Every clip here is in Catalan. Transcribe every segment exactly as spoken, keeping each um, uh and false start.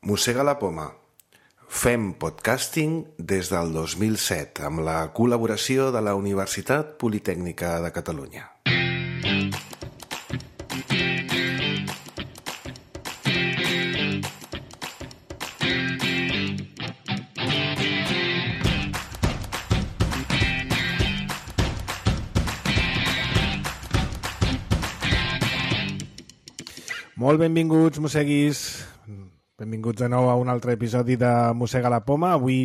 Mossega la poma. Fem podcasting des del dos mil set amb la col·laboració de la Universitat Politècnica de Catalunya. Molt benvinguts, mosseguis. Benvinguts de nou a un altre episodi de Mossega la poma. Avui,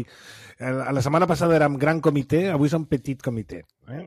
la setmana passada érem gran comitè, avui som petit comitè. Eh?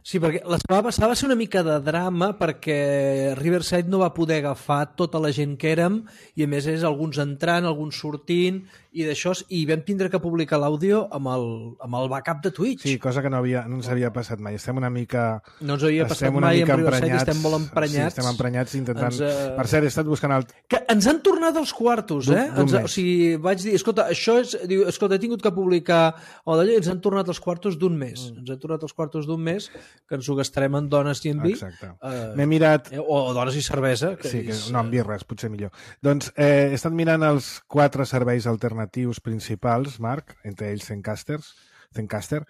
Sí, perquè la setmana passada va ser una mica de drama perquè Riverside no va poder agafar tota la gent que érem i a més és alguns entrant, alguns sortint i d'això, i vam tindre que publicar l'àudio amb, el, amb el backup de Twitch. Sí, cosa que no, havia, no ens havia passat mai. Estem una mica... No ens havia passat mai amb Riverside, estem molt emprenyats. Sí, estem emprenyats intentant... Ens, uh... Per cert, he estat buscant el... Que ens han tornat els quartos, eh? Ens, o sigui, vaig dir, escolta, això és... Diu, escolta, he tingut que publicar o d'allò, ens han tornat els quartos d'un mes. Mm. Ens han tornat els quartos d'un mes que ens ho gastarem en dones i en vi. Exacte. Uh, M'he mirat... Eh, o, o dones i cervesa. Que sí, que, és, no, en birres, potser millor. Doncs eh, he estat mirant els quatre serveis alternatius principals, Marc, entre ells Zencasters, Zencaster,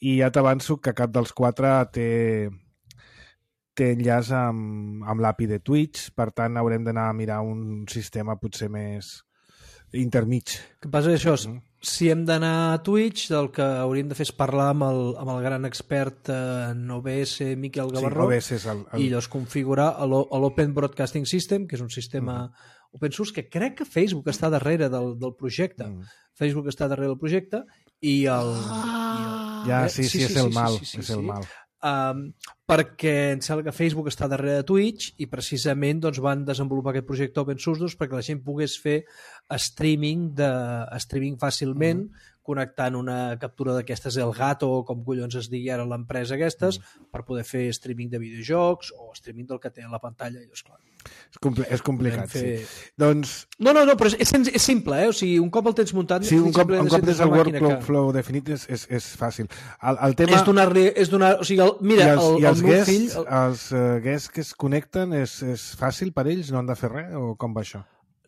i ja t'avanço que cap dels quatre té, té enllaç amb, amb l'A P I de Twitch, per tant haurem d'anar a mirar un sistema potser més intermig. El que passa és això, mm. si hem d'anar a Twitch, el que hauríem de fer és parlar amb el, amb el gran expert en O B S, Miquel Gavarró, sí, és el, el... i llavors configurar l'Open Broadcasting System, que és un sistema mm. open source, que crec que Facebook està darrere del, del projecte. Mm. Facebook està darrere del projecte i el... Ah. I el ja, sí, sí, sí, sí, és el mal. Sí, sí, sí, és el sí. mal. Um, perquè em sembla que Facebook està darrere de Twitch i precisament doncs, van desenvolupar aquest projecte open source doncs, perquè la gent pogués fer streaming, de, streaming fàcilment, mm. connectant una captura d'aquestes Elgato o com collons es digui ara l'empresa aquestes, mm. per poder fer streaming de videojocs o streaming del que té a la pantalla. I, és clar, és, compl és complicat, fer... sí. Doncs... No, no, no, però és, és simple, eh? O sigui, un cop el tens muntat... Sí, un cop, un cop tens el workflow que... definit és, és, és fàcil. El, el tema... És donar... És donar o sigui, el, mira, I els, el, i els el meu guests, fill... El... Els uh, guests que es connecten és, és fàcil per ells? No han de fer res? O com va això?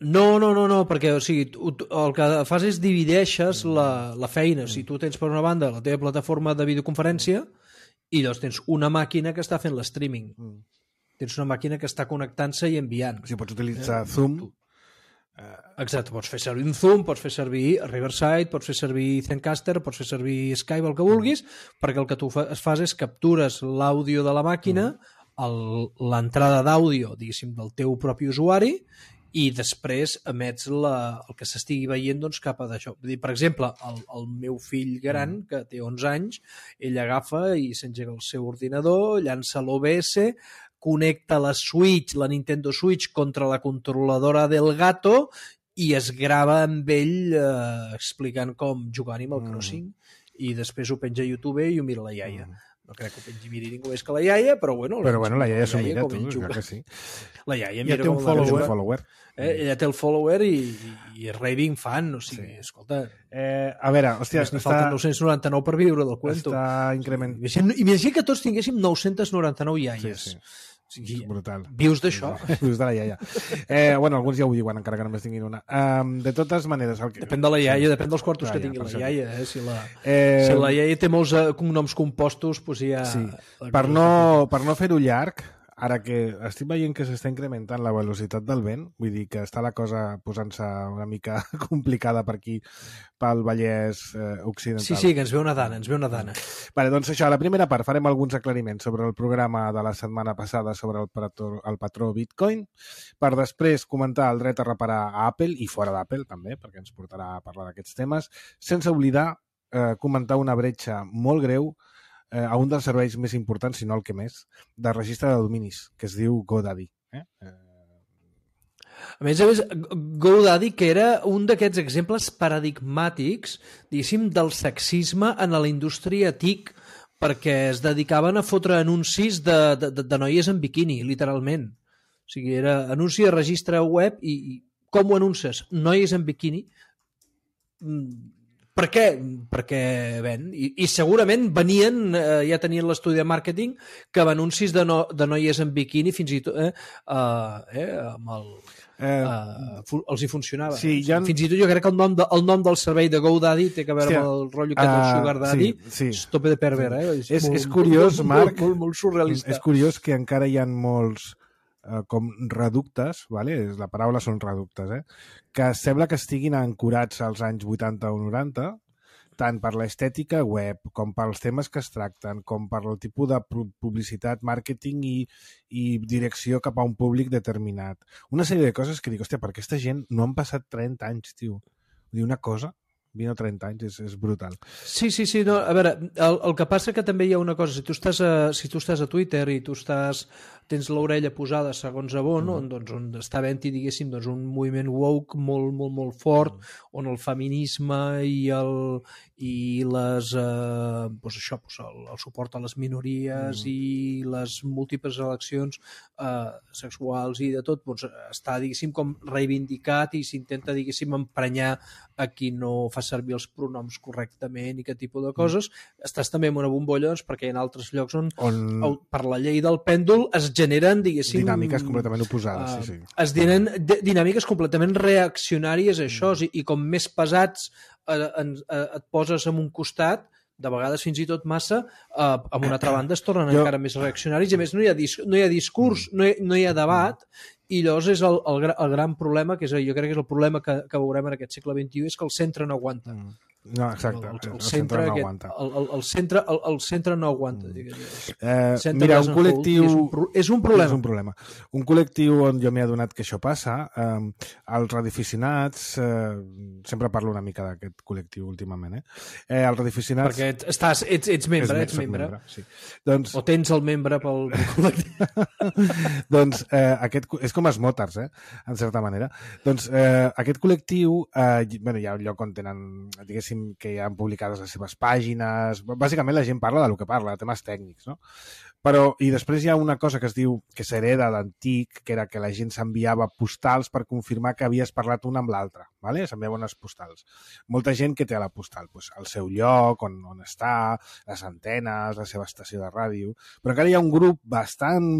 No, no, no, no, perquè o sigui, tu, el que fas és divideixes la, la feina. O sigui, tu tens per una banda la teva plataforma de videoconferència i llavors tens una màquina que està fent l'streaming. Mm. Tens una màquina que està connectant-se i enviant. O sigui, pots utilitzar eh? Zoom. Exacte, pots fer servir un Zoom, pots fer servir Riverside, pots fer servir Zencaster, pots fer servir Skype, el que vulguis, mm. perquè el que tu fas és captures l'àudio de la màquina, mm. l'entrada d'àudio, diguéssim, del teu propi usuari, i després emets la, el que s'estigui veient doncs, cap a d'això. Per exemple, el, el meu fill gran, que té onze anys, ell agafa i s'engega el seu ordinador, llança l'O B S, connecta la Switch, la Nintendo Switch, contra la controladora del gato i es grava amb ell eh, explicant com jugar Animal Crossing mm. i després ho penja a YouTube i ho mira la iaia. Mm. No crec que ho pengi miri ningú més que la iaia, però bueno... Però bueno, la iaia s'ho mira, tu, clar que sí. La iaia ja mira té un com follower. la follower. Eh, ella té el follower i, i, i és raving fan, o sigui, sí. Escolta... Eh, a veure, hòstia... Està... falten nou-cents noranta-nou per viure del cuento. Està increment... Imagina que tots tinguéssim nou-cents noranta-nou iaies. Sí, sí. O sigui, brutal. Vius d'això? Vius de la iaia. Eh, bueno, alguns ja ho diuen, encara que només tinguin una. Um, de totes maneres... El que... Depèn de la iaia, sí. Depèn dels quartos ah, que tingui ja, la iaia. Eh? Si, la, eh... si la iaia té molts cognoms compostos, doncs ja... Sí. Per no, per no fer-ho llarg, ara que estic veient que s'està incrementant la velocitat del vent, vull dir que està la cosa posant-se una mica complicada per aquí, pel Vallès eh, Occidental. Sí, sí, que ens ve una dana, ens ve una dana. Vale, doncs això, a la primera part farem alguns aclariments sobre el programa de la setmana passada sobre el patró, el patró Bitcoin, per després comentar el dret a reparar a Apple, i fora d'Apple també, perquè ens portarà a parlar d'aquests temes, sense oblidar eh, comentar una bretxa molt greu eh, a un dels serveis més importants, si no el que més, de registre de dominis, que es diu GoDaddy. Eh? Eh... A més a més, GoDaddy, que era un d'aquests exemples paradigmàtics, diguéssim, del sexisme en la indústria TIC, perquè es dedicaven a fotre anuncis de, de, de noies en biquini, literalment. O sigui, era anunci de registre web i, i com ho anuncies? Noies en biquini. Per què? Perquè ven. I, i segurament venien, eh, ja tenien l'estudi de màrqueting, que amb anuncis de, no, de noies en biquini, fins i tot eh, eh, amb el... eh, uh, els hi funcionava. Sí, ja... Fins i tot jo crec que el nom, de, el nom del servei de GoDaddy té que veure Hòstia, amb el rotllo que uh, del Sugar Daddy. Sí, sí. És tope de perver, eh? És, és, molt, és curiós, molt, Marc, molt, molt, molt surrealista. És curiós que encara hi ha molts uh, com reductes, vale? La paraula són reductes, eh? Que sembla que estiguin ancorats als anys vuitanta o noranta, tant per l'estètica web, com pels temes que es tracten, com per el tipus de publicitat, màrqueting i, i direcció cap a un públic determinat. Una sèrie de coses que dic, hòstia, per aquesta gent no han passat trenta anys, tio. Vull dir, una cosa, vint o trenta anys, és, és brutal. Sí, sí, sí. No, a veure, el, el que passa que també hi ha una cosa, si tu estàs a, si tu estàs a Twitter i tu estàs, tens l'orella posada segons a on, mm. on, doncs, on està havent-hi, diguéssim, doncs, un moviment woke molt, molt, molt fort, mm. on el feminisme i el i les eh, doncs això, doncs el, el suport a les minories mm. i les múltiples eleccions eh, sexuals i de tot, doncs està, diguéssim, com reivindicat i s'intenta, diguéssim, emprenyar a qui no fa servir els pronoms correctament i aquest tipus de coses. Mm. Estàs també en una bombolla, doncs, perquè hi ha altres llocs on, on... per la llei del pèndol es generen, diguéssim... Dinàmiques completament oposades, uh, sí, sí. Es generen dinàmiques completament reaccionàries a això, mm. i, i com més pesats eh, en, eh, et poses en un costat, de vegades fins i tot massa, eh, amb una altra banda es tornen jo... encara més reaccionaris, i a més no hi ha, dis no hi ha discurs, no hi, no hi ha debat, i llavors és el, el, el gran problema, que és, jo crec que és el problema que, que veurem en aquest segle vint-i-u, és que el centre no aguanta. Mm. No, exacte, el, el, el, el, centre, centre no aquest, aguanta. El, el, el, centre, el, el centre no aguanta. Eh, mira, un col·lectiu... És un, és un problema. És un problema. Un col·lectiu on jo m'he adonat que això passa, eh, els radioaficionats, eh, sempre parlo una mica d'aquest col·lectiu últimament, eh? eh els radioaficionats... Perquè estàs, ets, ets membre, ets membre. membre sí. doncs... O tens el membre pel col·lectiu. doncs eh, aquest, és com els motars, eh? En certa manera. Doncs eh, aquest col·lectiu, eh, bueno, hi ha un lloc on tenen, diguéssim, que hi han publicades les seves pàgines, bàsicament la gent parla del que parla, de temes tècnics, no? Però, i després hi ha una cosa que es diu, que s'hereda d'antic, que era que la gent s'enviava postals per confirmar que havies parlat una amb l'altra, ¿vale? S'enviaven unes postals. Molta gent que té a la postal, pues, el seu lloc, on, on està, les antenes, la seva estació de ràdio, però encara hi ha un grup bastant...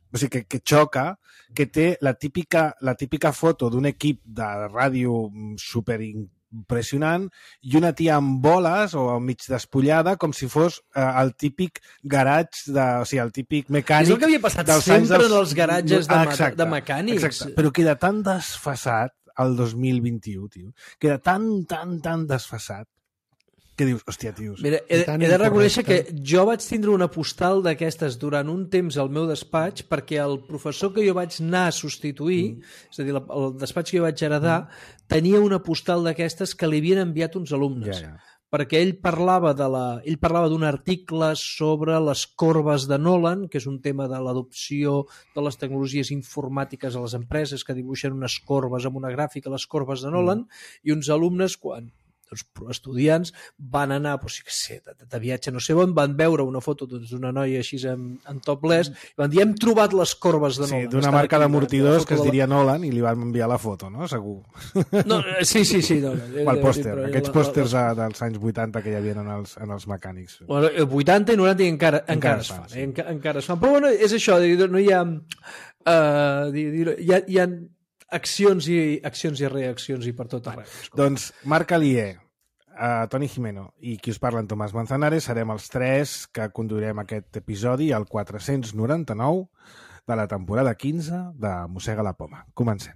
O sigui, que, que xoca, que té la típica, la típica foto d'un equip de ràdio super impressionant i una tia amb boles o mig despullada com si fos eh, el típic garatge, de, o sigui, el típic mecànic... És el que havia passat sempre dels... en els garatges de, exacte, de mecànics. Exacte, però queda tan desfasat el dos mil vint-i-u, tio. Queda tan, tan, tan desfasat que dius, hòstia, tios... Mira, he, he de reconèixer que jo vaig tindre una postal d'aquestes durant un temps al meu despatx perquè el professor que jo vaig anar a substituir, mm. és a dir, el despatx que jo vaig heredar, mm. tenia una postal d'aquestes que li havien enviat uns alumnes. Ja, ja. Perquè ell parlava de la, ell parlava d'un article sobre les corbes de Nolan, que és un tema de l'adopció de les tecnologies informàtiques a les empreses que dibuixen unes corbes amb una gràfica, les corbes de Nolan, mm. i uns alumnes, quan els estudiants van anar, doncs, que sé, de, de viatge no sé on, van veure una foto d'una noia així en, en topless i van dir, hem trobat les corbes de Nolan. Sí, d'una marca d'amortidors que es diria la... Nolan i li van enviar la foto, no? Segur. No, sí, sí, sí. No, o el pòster, sí, aquests pòsters la, la... dels anys vuitanta que hi havia en els, en els mecànics. Bueno, vuitanta i noranta i encara, encara, encara es fan. Sí. Eh? Encara, encara es fan. Però bueno, és això, no hi ha... Uh, hi ha, hi ha accions i accions i reaccions i per tot arreu. Doncs Marc Alier, uh, Toni Gimeno i qui us parla en Tomàs Manzanares serem els tres que conduirem aquest episodi al quatre-cents noranta-nou de la temporada quinze de Mossega la Poma. Comencem.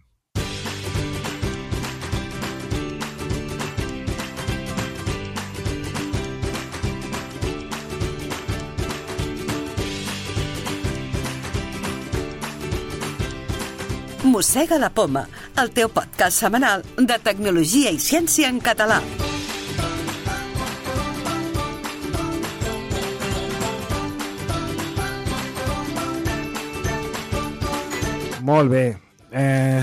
Mossega la Poma, el teu podcast setmanal de tecnologia i ciència en català. Molt bé. Eh,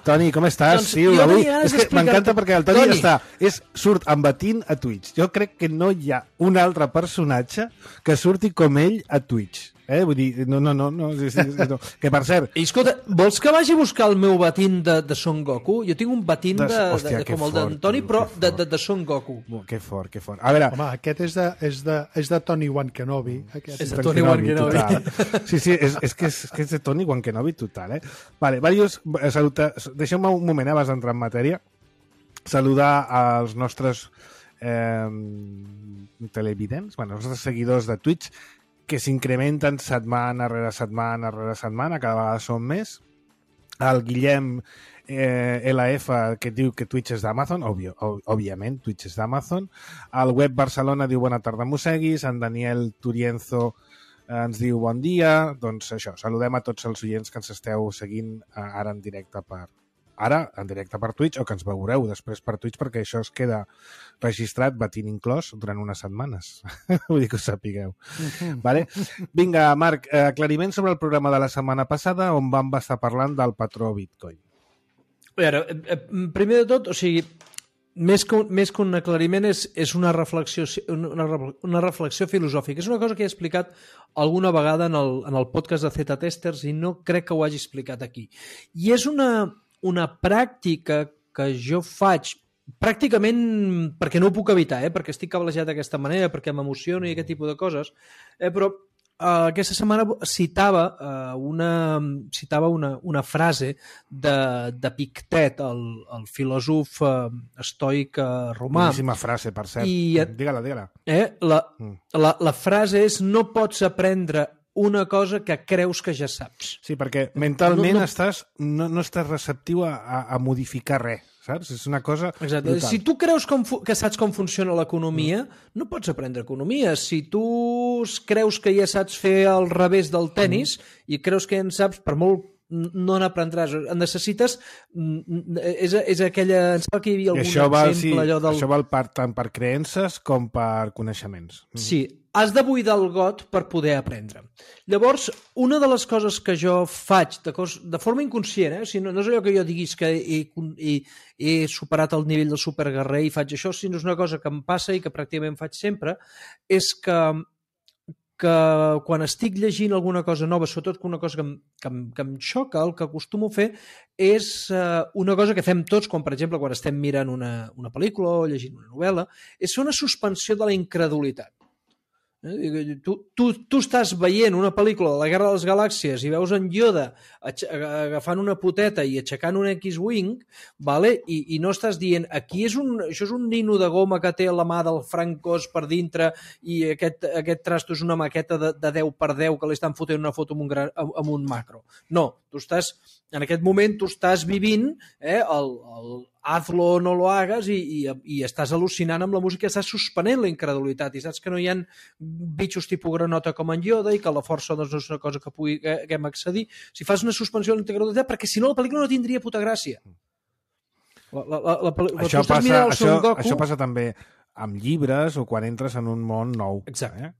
Toni, com estàs? Doncs sí, avui... És que m'encanta perquè el Toni, Toni. està, és, surt embatint a Twitch. Jo crec que no hi ha un altre personatge que surti com ell a Twitch. Eh? Vull dir, no, no, no, no, sí, sí, sí, no. Que per cert... I escolta, vols que vagi a buscar el meu batín de, de Son Goku? Jo tinc un batín de, de, Hòstia, de, com el fort, d'Antoni, tio, però que de, fort. de, de Son Goku. Oh, que fort, que fort. A veure... Home, aquest és de, és de, és de Tony Wan Kenobi. Aquest. És de Tony Wan Kenobi. Total. Sí, sí, és, és, que és, és que és de Tony Wan Kenobi total, eh? Vale, varios, saluta, deixeu-me un moment abans d'entrar en matèria. Saludar als nostres eh, televidents, bueno, els nostres seguidors de Twitch, que s'incrementen setmana rere setmana rere setmana, cada vegada són més. El Guillem eh, L F, que diu que Twitch és d'Amazon, òbviament, Twitch és d'Amazon. El Web Barcelona diu bona tarda, mosseguis. En Daniel Turienzo eh, ens diu bon dia. Doncs això, saludem a tots els oients que ens esteu seguint eh, ara en directe per ara en directe per Twitch, o que ens veureu després per Twitch, perquè això es queda registrat, batint inclòs, durant unes setmanes. Vull dir que ho sapigueu. Uh-huh. Vale? Vinga, Marc, eh, aclariment sobre el programa de la setmana passada, on vam estar parlant del patró Bitcoin. A veure, eh, primer de tot, o sigui, més que, més que un aclariment és, és una, reflexió, una, una reflexió filosòfica. És una cosa que he explicat alguna vegada en el, en el podcast de Z-Testers i no crec que ho hagi explicat aquí. I és una... una pràctica que jo faig pràcticament perquè no ho puc evitar, eh? Perquè estic cablejat d'aquesta manera, perquè m'emociono i aquest tipus de coses, eh? Però eh, aquesta setmana citava, eh, una, citava una, una frase de, de Pictet, el, el filòsof eh, estoic eh, romà. Boníssima frase, per cert. I, digue-la, digue-la. Eh? La, mm. la, la frase és: no pots aprendre una cosa que creus que ja saps. Sí, perquè mentalment no, no... Estàs, no, no estàs receptiu a, a, a modificar res, saps? És una cosa Exacte. brutal. Si tu creus com que saps com funciona l'economia, mm. no pots aprendre economia. Si tu creus que ja saps fer el revés del tenis mm. i creus que ja en saps, per molt no n'aprendràs. Necessites... És, és aquella... Em sembla que hi havia algun això val, exemple... Sí, allò del... Això val per, tant per creences com per coneixements. Mm. Sí, has de buidar el got per poder aprendre. Llavors, una de les coses que jo faig de, cos, de forma inconscient, eh? O sigui, no, no és allò que jo diguis que he, he, he superat el nivell del superguerrer i faig això, sinó és una cosa que em passa i que pràcticament faig sempre, és que que quan estic llegint alguna cosa nova, sobretot una cosa que em, que em, que em xoca, el que acostumo a fer és eh, una cosa que fem tots, com per exemple quan estem mirant una, una pel·lícula o llegint una novel·la, és fer una suspensió de la incredulitat. Tu, tu, tu estàs veient una pel·lícula de la Guerra de les Galàxies i veus en Yoda agafant una poteta i aixecant un X-Wing, vale? I, i no estàs dient aquí és un, això és un nino de goma que té la mà del Frank Oz per dintre i aquest, aquest trasto és una maqueta de, de deu per deu que li estan fotent una foto amb un, gran, amb un macro. No, tu estàs, en aquest moment tu estàs vivint eh, el, el hazlo o no lo hagas i, i, i estàs al·lucinant amb la música, estàs suspenent la incredulitat i saps que no hi ha bitxos tipus granota com en Yoda i que la força doncs, no és una cosa que pugui que, que hem accedir. Si fas una suspensió de la incredulitat, perquè si no la pel·lícula no tindria puta gràcia. La, la, la, la, això, passa, això, això passa també amb llibres o quan entres en un món nou. Exacte. Eh?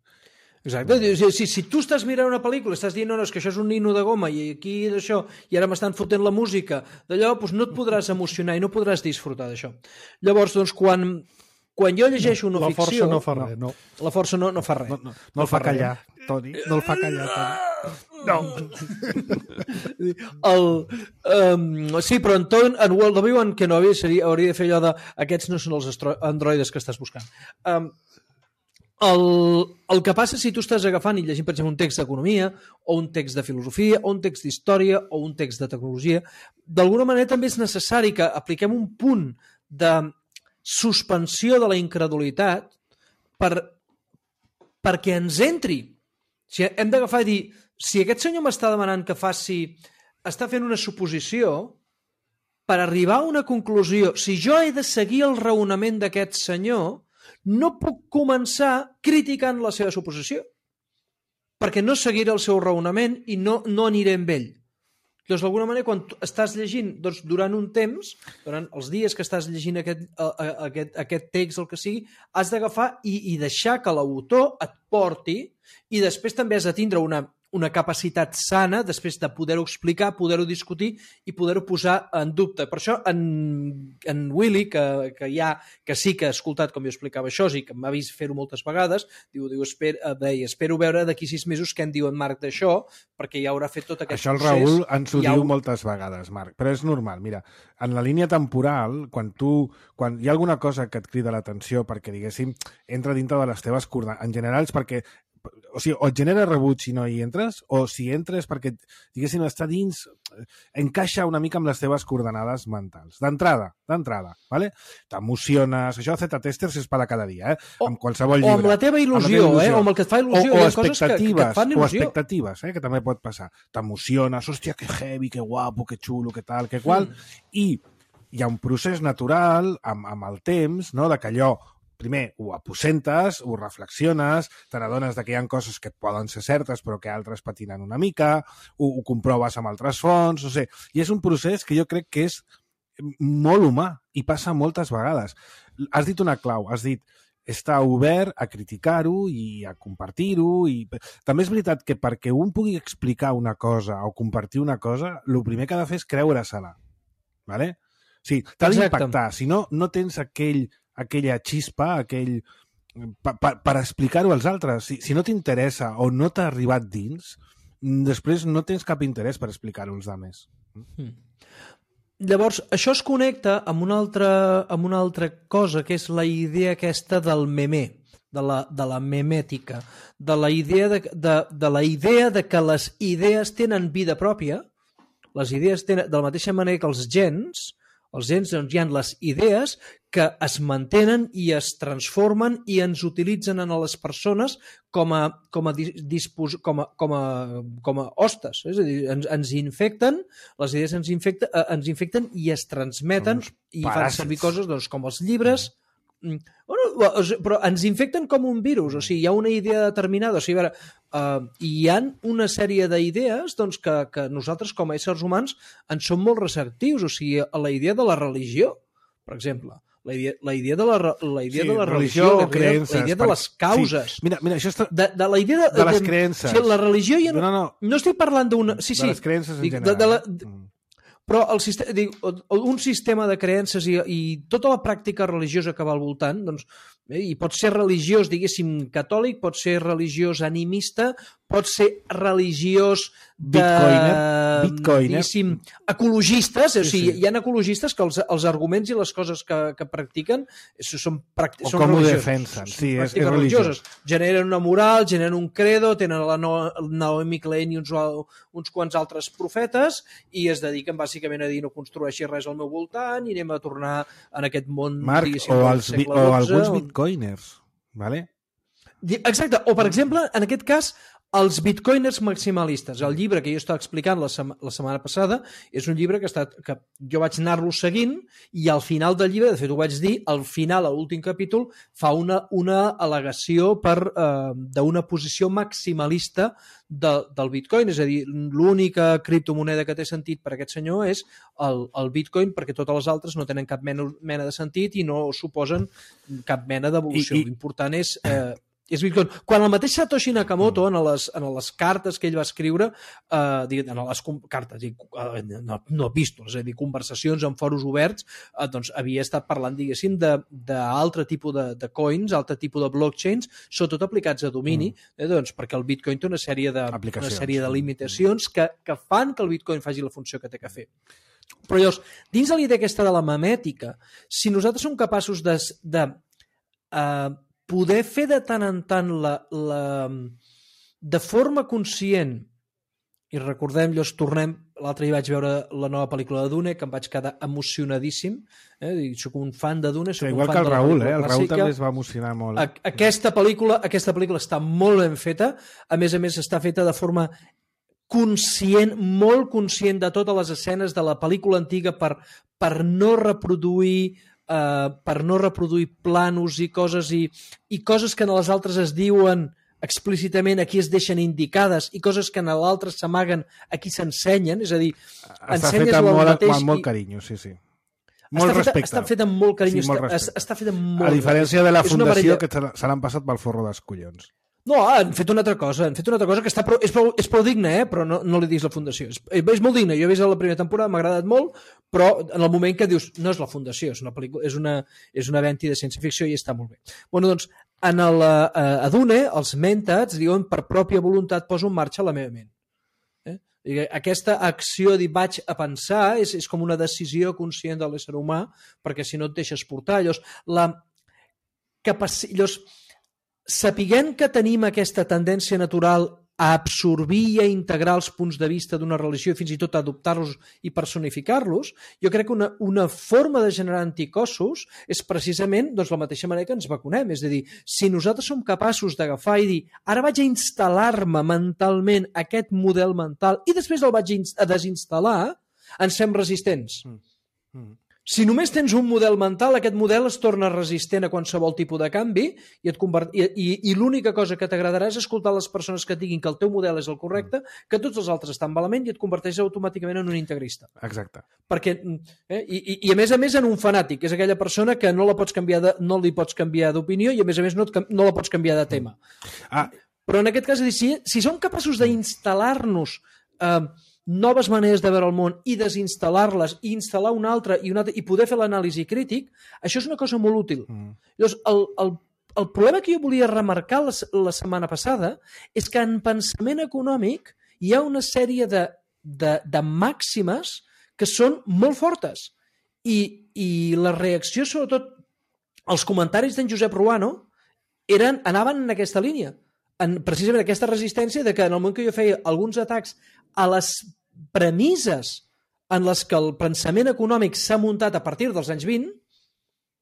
Exacte. Si, si, si tu estàs mirant una pel·lícula i estàs dient no, no, és que això és un nino de goma i aquí és això, i ara m'estan fotent la música d'allò, doncs no et podràs emocionar i no podràs disfrutar d'això. Llavors, doncs, quan, quan jo llegeixo una la ficció... La força no fa res, no. La força no, no fa res. No, no, no, no el fa callar, Toni. No el fa callar, Toni. No. El, um, sí, però en, ton, en World of Obi-Wan Kenobi seria, hauria de fer allò de aquests no són els androides que estàs buscant. Um, El, el que passa si tu estàs agafant i llegint, per exemple, un text d'economia o un text de filosofia o un text d'història o un text de tecnologia, d'alguna manera també és necessari que apliquem un punt de suspensió de la incredulitat per, perquè ens entri. O sigui, hem d'agafar i dir, si aquest senyor m'està demanant que faci, està fent una suposició, per arribar a una conclusió, si jo he de seguir el raonament d'aquest senyor, no puc començar criticant la seva suposició, perquè no seguiré el seu raonament i no, no aniré amb ell. Doncs, d'alguna manera, quan estàs llegint doncs, durant un temps, durant els dies que estàs llegint aquest, aquest, aquest text, el que sigui, has d'agafar i, i deixar que l'autor et porti i després també has de tindre una, una capacitat sana després de poder-ho explicar, poder-ho discutir i poder-ho posar en dubte. Per això en, en Willy, que, que, ja, que sí que ha escoltat com jo explicava això i que m'ha vist fer-ho moltes vegades, diu, diu esper, deia, espero veure d'aquí sis mesos què en diu en Marc d'això, perquè ja haurà fet tot aquest això el procés. Raül ens ho ja diu ho... moltes vegades, Marc, però és normal. Mira, en la línia temporal, quan tu quan hi ha alguna cosa que et crida l'atenció perquè, diguéssim, entra dintre de les teves coordenades, en general és perquè o sigui, o et genera rebuig si no hi entres, o si entres perquè, diguéssim, està dins, encaixa una mica amb les teves coordenades mentals. D'entrada, d'entrada, ¿vale? T'emociones, això de Z-testers és per a cada dia, eh? O, amb qualsevol llibre. O amb la teva il·lusió, amb la teva il·lusió. Eh? O amb el que et fa il·lusió. O, o hi ha coses que, que et fan il·lusió. O expectatives, eh? Que també pot passar. T'emociones, hòstia, que heavy, que guapo, que xulo, que tal, que qual, mm. i hi ha un procés natural amb, amb el temps, no?, de que allò primer, ho aposentes, ho reflexiones, te n'adones que hi ha coses que poden ser certes però que altres patinen una mica, ho, ho comproves amb altres fonts, no sé. I és un procés que jo crec que és molt humà i passa moltes vegades. Has dit una clau, has dit estar obert a criticar-ho i a compartir-ho. I... També és veritat que perquè un pugui explicar una cosa o compartir una cosa, el primer que ha de fer és creure-se-la. ¿Vale? Sí, t'ha d'impactar. Si no, no tens aquell aquella xispa, aquell... per, per, per explicar-ho als altres. Si, si no t'interessa o no t'ha arribat dins, després no tens cap interès per explicar-ho als altres. Mm. Llavors, això es connecta amb una altra, amb una altra cosa, que és la idea aquesta del memé, de la, de la memètica, de la idea de, de, de la idea de que les idees tenen vida pròpia, les idees tenen, de la mateixa manera que els gens, els gens, doncs, hi ha les idees que es mantenen i es transformen i ens utilitzen a les persones com a, com a, dispos, com a, com a, com a hostes. És a dir, ens, ens infecten, les idees ens, infecta, ens infecten i es transmeten i fan servir coses doncs, com els llibres. Bueno, però ens infecten com un virus, o sigui, hi ha una idea determinada, o sigui, a veure, uh, hi ha una sèrie d'idees doncs, que, que nosaltres com a éssers humans en som molt receptius, o sigui, a la idea de la religió, per exemple, la idea, la idea de la, la idea sí, de la religió, religió la, creences, la idea de les causes, sí. mira, mira, això està... de, de la idea de, de les creences. O sigui, la religió ja no, no, no, no estic parlant d'una... Sí, de sí, les creences en dic, general. De, de la, de, però el sistema, dic, un sistema de creences i, i tota la pràctica religiosa que va al voltant, doncs, eh, i pot ser religiós, diguéssim, catòlic, pot ser religiós animista, pot ser religiós de... Bitcoiner. Bitcoiner. Diguéssim, ecologistes, sí, o sigui, sí. Hi ha ecologistes que els, els arguments i les coses que, que practiquen són, pràcti- o són com ho religioses. defensen, sí, és, és és religiós. Generen una moral, generen un credo, tenen la Naomi Klein i uns, uns quants altres profetes i es dediquen bàsicament a dir no construeixi res al meu voltant i anem a tornar en aquest món, Marc, diguéssim, o, del els, segle o dotze, alguns on... bitcoiners, ¿vale? Exacte, o per exemple, en aquest cas, els bitcoiners maximalistes. El llibre que jo estava explicant la, sema, la setmana passada és un llibre que, està, que jo vaig anar-lo seguint i al final del llibre, de fet ho vaig dir, al final, a l'últim capítol, fa una, una al·legació per eh, d'una posició maximalista de, del bitcoin, és a dir, l'única criptomoneda que té sentit per aquest senyor és el, el bitcoin, perquè totes les altres no tenen cap mena, mena de sentit i no suposen cap mena d'evolució. L'important és... Eh, és Bitcoin. Quan el mateix Satoshi Nakamoto, en les, en les cartes que ell va escriure, eh, en les cartes, no, no epístoles, és a dir, conversacions en foros oberts, eh, doncs havia estat parlant, diguéssim, d'altre tipus de, de coins, altre tipus de blockchains, sobretot aplicats a domini, mm. eh, doncs, perquè el Bitcoin té una sèrie de, una sèrie de limitacions que, que fan que el Bitcoin faci la funció que té que fer. Però llavors, dins de l'idea aquesta de la memètica, si nosaltres som capaços de... de eh, poder fer de tant en tant la, la, de forma conscient, i recordem, llavors tornem, l'altre dia vaig veure la nova pel·lícula de Dune, que em vaig quedar emocionadíssim, eh? Soc un fan de Dune, soc sí, un igual fan que el de la Raül, pel·lícula eh? El clàssica. Raül també es va emocionar molt. A, aquesta, pel·lícula, aquesta pel·lícula està molt ben feta, a més a més està feta de forma conscient, molt conscient de totes les escenes de la pel·lícula antiga per, per no reproduir Uh, per no reproduir planos i coses i, i coses que en les altres es diuen explícitament, aquí es deixen indicades i coses que en l'altre s'amaguen, aquí s'ensenyen, és a dir, està feta amb molt, mateix amb molt i... carinyo, sí, sí. Molt està respecte. Feta, està feta amb molt carinyo, sí, molt està, està feta amb molt... A diferència de la és fundació, que se l'han passat pel forro dels collons. No, han fet una altra cosa, han fet una altra cosa que està prou, és, prou, és prou digne, eh? Però no, no li diguis la fundació. És, és molt digne, jo he vist la primera temporada, m'ha agradat molt, però en el moment que dius, no és la fundació, és una pel·lícula, és una, és una venti de ciència-ficció i està molt bé. Bueno, doncs, en el, uh, a Dune, els mentats diuen per pròpia voluntat poso en marxa la meva ment. Eh? I aquesta acció de vaig a pensar és, és com una decisió conscient de l'ésser humà, perquè si no et deixes portar. Llavors, la capacitat... Llavors, sapiguem que tenim aquesta tendència natural a absorbir i a integrar els punts de vista d'una religió i fins i tot a adoptar-los i personificar-los, jo crec que una, una forma de generar anticossos és precisament doncs, la mateixa manera que ens vacunem. És a dir, si nosaltres som capaços d'agafar i dir ara vaig a instal·lar-me mentalment aquest model mental i després el vaig a desinstal·lar, ens fem resistents. Mm. Mm. Si només tens un model mental, aquest model es torna resistent a qualsevol tipus de canvi i, et convert... I, i, i l'única cosa que t'agradarà és escoltar les persones que et diguin que el teu model és el correcte, que tots els altres estan malament i et converteix automàticament en un integrista. Exacte. Perquè, eh, i, i a més a més en un fanàtic, és aquella persona que no la pots canviar de, no li pots canviar d'opinió i a més a més no, et, no la pots canviar de tema. Ah. Però en aquest cas, si, si som capaços d'instal·lar-nos eh, noves maneres de veure el món i desinstal·lar-les i instal·lar una altra i, una altra, i poder fer l'anàlisi crític, això és una cosa molt útil. Mm. Llavors, el, el, el problema que jo volia remarcar la, la setmana passada és que en pensament econòmic hi ha una sèrie de, de, de màximes que són molt fortes. I, i la reacció, sobretot, els comentaris d'en Josep Ruano eren, anaven en aquesta línia. En, precisament aquesta resistència de que en el moment que jo feia alguns atacs a les premisses en les que el pensament econòmic s'ha muntat a partir dels anys vint,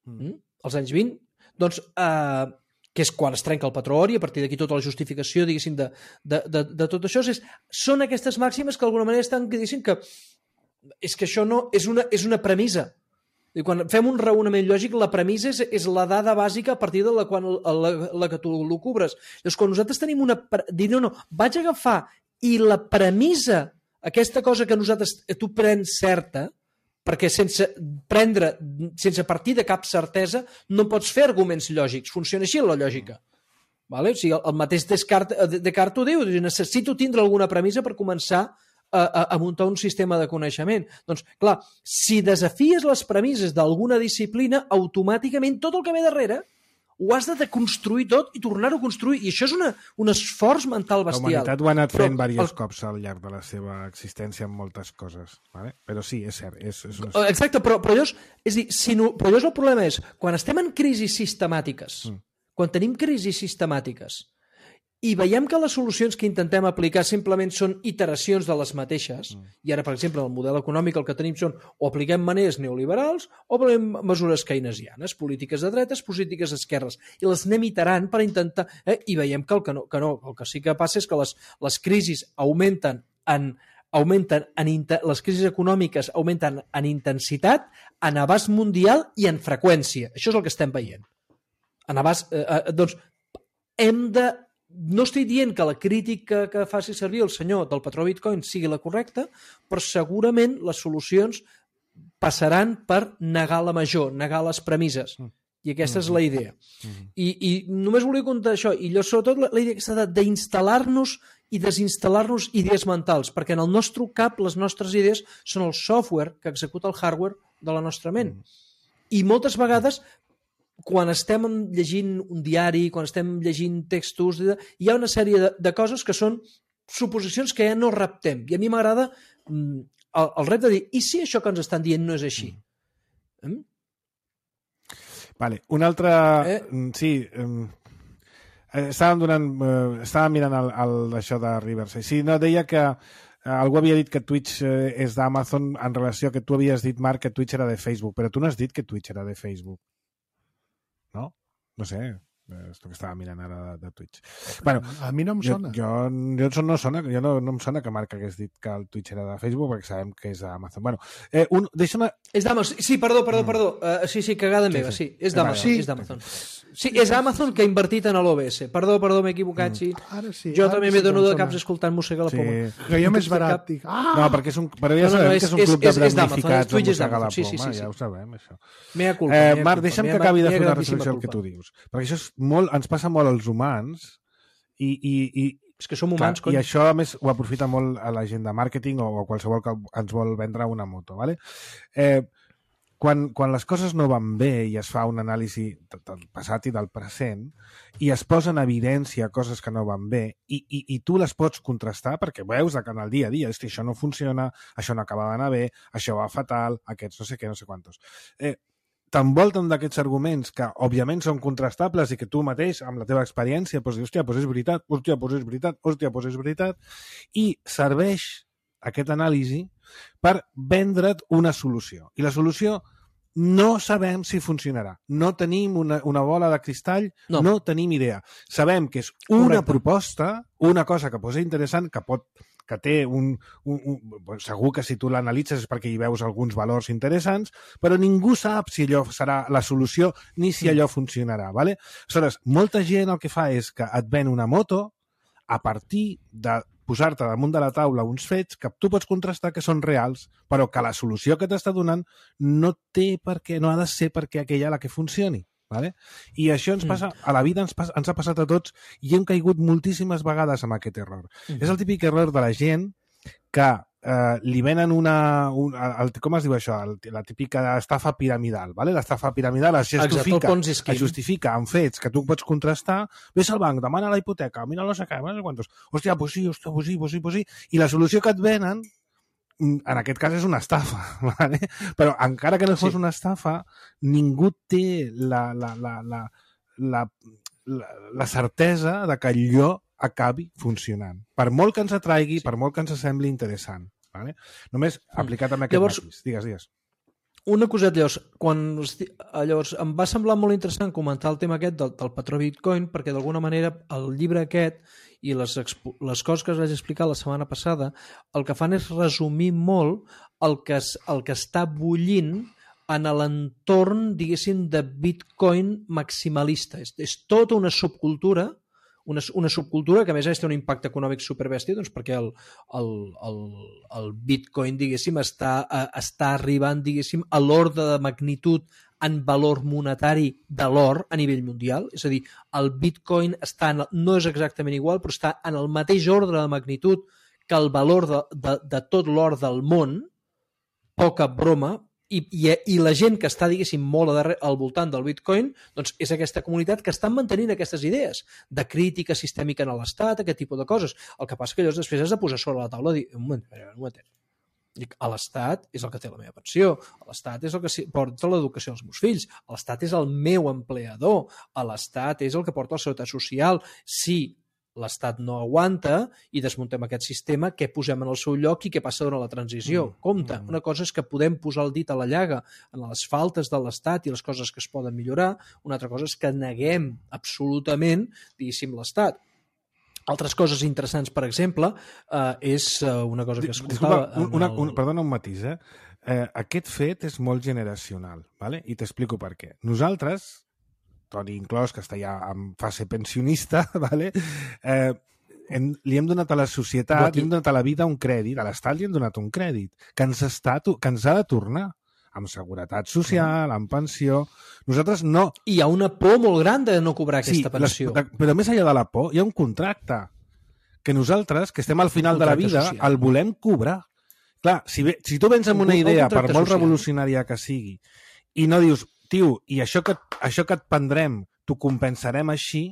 mm. els anys vint, doncs, eh, que és quan es trenca el patró or i a partir d'aquí tota la justificació, diguéssim, de, de, de, de tot això, és, són aquestes màximes que d'alguna manera estan dient que és que això no és una, és una premissa. I quan fem un raonament lògic, la premissa és, és la dada bàsica a partir de la, quan, la, la que tu l'ocubres. Llavors, quan nosaltres tenim una... Dir, no, no, vaig a agafar i la premissa, aquesta cosa que nosaltres, tu prens certa, perquè sense prendre, sense partir de cap certesa, no pots fer arguments lògics. Funciona així la lògica. Vale? O sigui, el mateix Descartes, Descartes ho diu, necessito tindre alguna premissa per començar a, a, a muntar un sistema de coneixement. Doncs, clar, si desafies les premisses d'alguna disciplina, automàticament tot el que ve darrere ho has de deconstruir tot i tornar-ho a construir. I això és una, un esforç mental bestial. La humanitat ho ha anat fent però, diversos el... cops al llarg de la seva existència en moltes coses. Vale? Però sí, és cert. És, és una... Exacte, però, però llavors, és dir, si no, però llavors el problema és, quan estem en crisis sistemàtiques, mm. quan tenim crisis sistemàtiques, i veiem que les solucions que intentem aplicar simplement són iteracions de les mateixes, mm. i ara, per exemple, el model econòmic el que tenim són o apliquem maneres neoliberals o apliquem mesures keynesianes, polítiques de dretes, polítiques d'esquerres, i les anem iterant per intentar... Eh, I veiem que el que, no, que no, el que sí que passa és que les, les crisis augmenten en augmenten en inter... les crisis econòmiques augmenten en intensitat, en abast mundial i en freqüència. Això és el que estem veient. En abast... Eh, eh, doncs, hem de... No estic dient que la crítica que faci servir el senyor del patró Bitcoin sigui la correcta, però segurament les solucions passaran per negar la major, negar les premisses. I aquesta és la idea. I, i només volia contar això. I jo, sobretot, la, la idea aquesta d'instal·lar-nos i desinstal·lar-nos idees mentals, perquè en el nostre cap les nostres idees són el software que executa el hardware de la nostra ment. I moltes vegades... quan estem llegint un diari, quan estem llegint textos, hi ha una sèrie de, de coses que són suposicions que ja no raptem. I a mi m'agrada mm, el, el repte de dir, i si això que ens estan dient no és així? Mm? Vale, un altre... Eh? Sí, um, estàvem, donant, uh, estàvem mirant el, el, això de Riverside. Sí, no, deia que uh, algú havia dit que Twitch uh, és d'Amazon en relació a que tu havies dit, Marc, que Twitch era de Facebook, però tu no has dit que Twitch era de Facebook. No? No sé, és el que estava mirant ara de, de Twitch. Bueno, a mi no em sona. Jo, jo, jo no sona, jo no, no em sona que Marc hagués dit que el Twitch era de Facebook, perquè sabem que és d'Amazon. Bueno, eh, un, deixa'm... És d'Amazon, sí, perdó, perdó, perdó. Uh, sí, sí, cagada meva, sí, sí. És d'Amazon, sí. és d'Amazon. Sí, és Amazon que ha invertit en l'O B S. Perdó, perdó, m'he equivocat, sí. Ara sí. Jo ara també sí m'he donat de caps escoltant mossegar la sí. poma. Però jo més barat dic... Ah! No, perquè és un, però ja no, no, sabem no, és, que és un club és, de és damnificats on mossegar la poma, sí, sí, sí, sí. ja ho sabem, això. Mea culpa, eh, mea Marc, culpa, deixa'm mea, que acabi de fer una reflexió reflexió al que tu dius. Perquè això és molt, ens passa molt als humans I, i, i És que som humans, clar, i això, a més, ho aprofita molt a la gent de màrqueting o a qualsevol que ens vol vendre una moto. ¿vale? Eh, quan, quan les coses no van bé i es fa un anàlisi del passat i del present i es posa en evidència coses que no van bé i, i, i tu les pots contrastar perquè veus que en el dia a dia, hosti, això no funciona, això no acaba d'anar bé, això va fatal, aquests no sé què, no sé quantos. Eh, t'envolten d'aquests arguments que, òbviament, són contrastables i que tu mateix, amb la teva experiència, pots dir, hòstia, doncs és veritat, hòstia, doncs és veritat, hòstia, doncs és veritat, i serveix aquest anàlisi per vendre't una solució. I la solució no sabem si funcionarà. No tenim una, una bola de cristall, no. no tenim idea. Sabem que és una Correcte. proposta, una cosa que pot ser interessant, que pot que té un, un, un... Segur que si tu l'analitzes és perquè hi veus alguns valors interessants, però ningú sap si allò serà la solució ni si allò funcionarà. ¿vale? Aleshores, molta gent el que fa és que et ven una moto a partir de posar-te damunt de la taula uns fets que tu pots contrastar que són reals, però que la solució que t'està donant no té per què, no ha de ser perquè aquella la que funcioni. Vale? I això ens passa, a la vida ens, pas, ens ha passat a tots i hem caigut moltíssimes vegades amb aquest error. Mm. És el típic error de la gent que eh, li venen una... Un, el, com es diu això? El, la típica estafa piramidal. Vale? L'estafa piramidal es justifica, Exacte, es justifica amb fets que tu pots contrastar. Ves al banc, demana la hipoteca, mira no sé què, no sé quantos. Hòstia, pues sí, hòstia, pues sí, pues sí, pues sí. I la solució que et venen en aquest cas és una estafa, ¿vale? Però encara que no fos sí. una estafa, ningú té la, la, la, la, la, la, la certesa de que allò acabi funcionant. Per molt que ens atraigui, sí. per molt que ens sembli interessant. ¿vale? Només aplicat amb aquest Llavors, matís. Digues, digues. Una coseta, llavors, quan, llavors, em va semblar molt interessant comentar el tema aquest del, del patró Bitcoin, perquè d'alguna manera el llibre aquest i les, les coses que us vaig explicar la setmana passada, el que fan és resumir molt el que, es, el que està bullint en l'entorn, diguéssim, de Bitcoin maximalista. És, és tota una subcultura, una, una subcultura que a més a més té un impacte econòmic superbèstia, doncs perquè el, el, el, el Bitcoin, diguéssim, està, està arribant, diguéssim, a l'ordre de magnitud en valor monetari de l'or a nivell mundial. És a dir, el Bitcoin està en, no és exactament igual, però està en el mateix ordre de magnitud que el valor de, de, de tot l'or del món, poca broma, I, i, i la gent que està, diguéssim, molt darrere, al voltant del Bitcoin, doncs és aquesta comunitat que estan mantenint aquestes idees de crítica sistèmica en l'Estat, aquest tipus de coses. El que passa que llavors després has de posar sobre la taula i dir, un moment, un moment, dic, a l'Estat és el que té la meva pensió, a l'Estat és el que porta l'educació als meus fills, a l'Estat és el meu empleador, a l'Estat és el que porta la seguretat social. Si l'Estat no aguanta i desmuntem aquest sistema, què posem en el seu lloc i què passa durant la transició? Mm. Compte, una cosa és que podem posar el dit a la llaga en les faltes de l'Estat i les coses que es poden millorar, una altra cosa és que neguem absolutament, diguéssim, l'Estat. Altres coses interessants, per exemple, eh, és una cosa que escoltava... Disculpa, una, el... un, perdona un matís, eh? eh? Aquest fet és molt generacional, ¿vale? I t'explico per què. Nosaltres, Toni inclòs, que està ja en fase pensionista, ¿vale? eh, hem, li hem donat a la societat, li hem donat a la vida un crèdit, a l'Estat li hem donat un crèdit, que ens, està, que ens ha de tornar, amb seguretat social, amb pensió. Nosaltres no... Hi ha una por molt gran de no cobrar aquesta sí, pensió. Les, però més enllà de la por, hi ha un contracte que nosaltres, que estem al final de la vida, social. El volem cobrar. Clar, si, ve, si tu vens amb una idea, per molt social. Revolucionària que sigui, i no dius, tio, i això que, això que et prendrem t'ho compensarem així,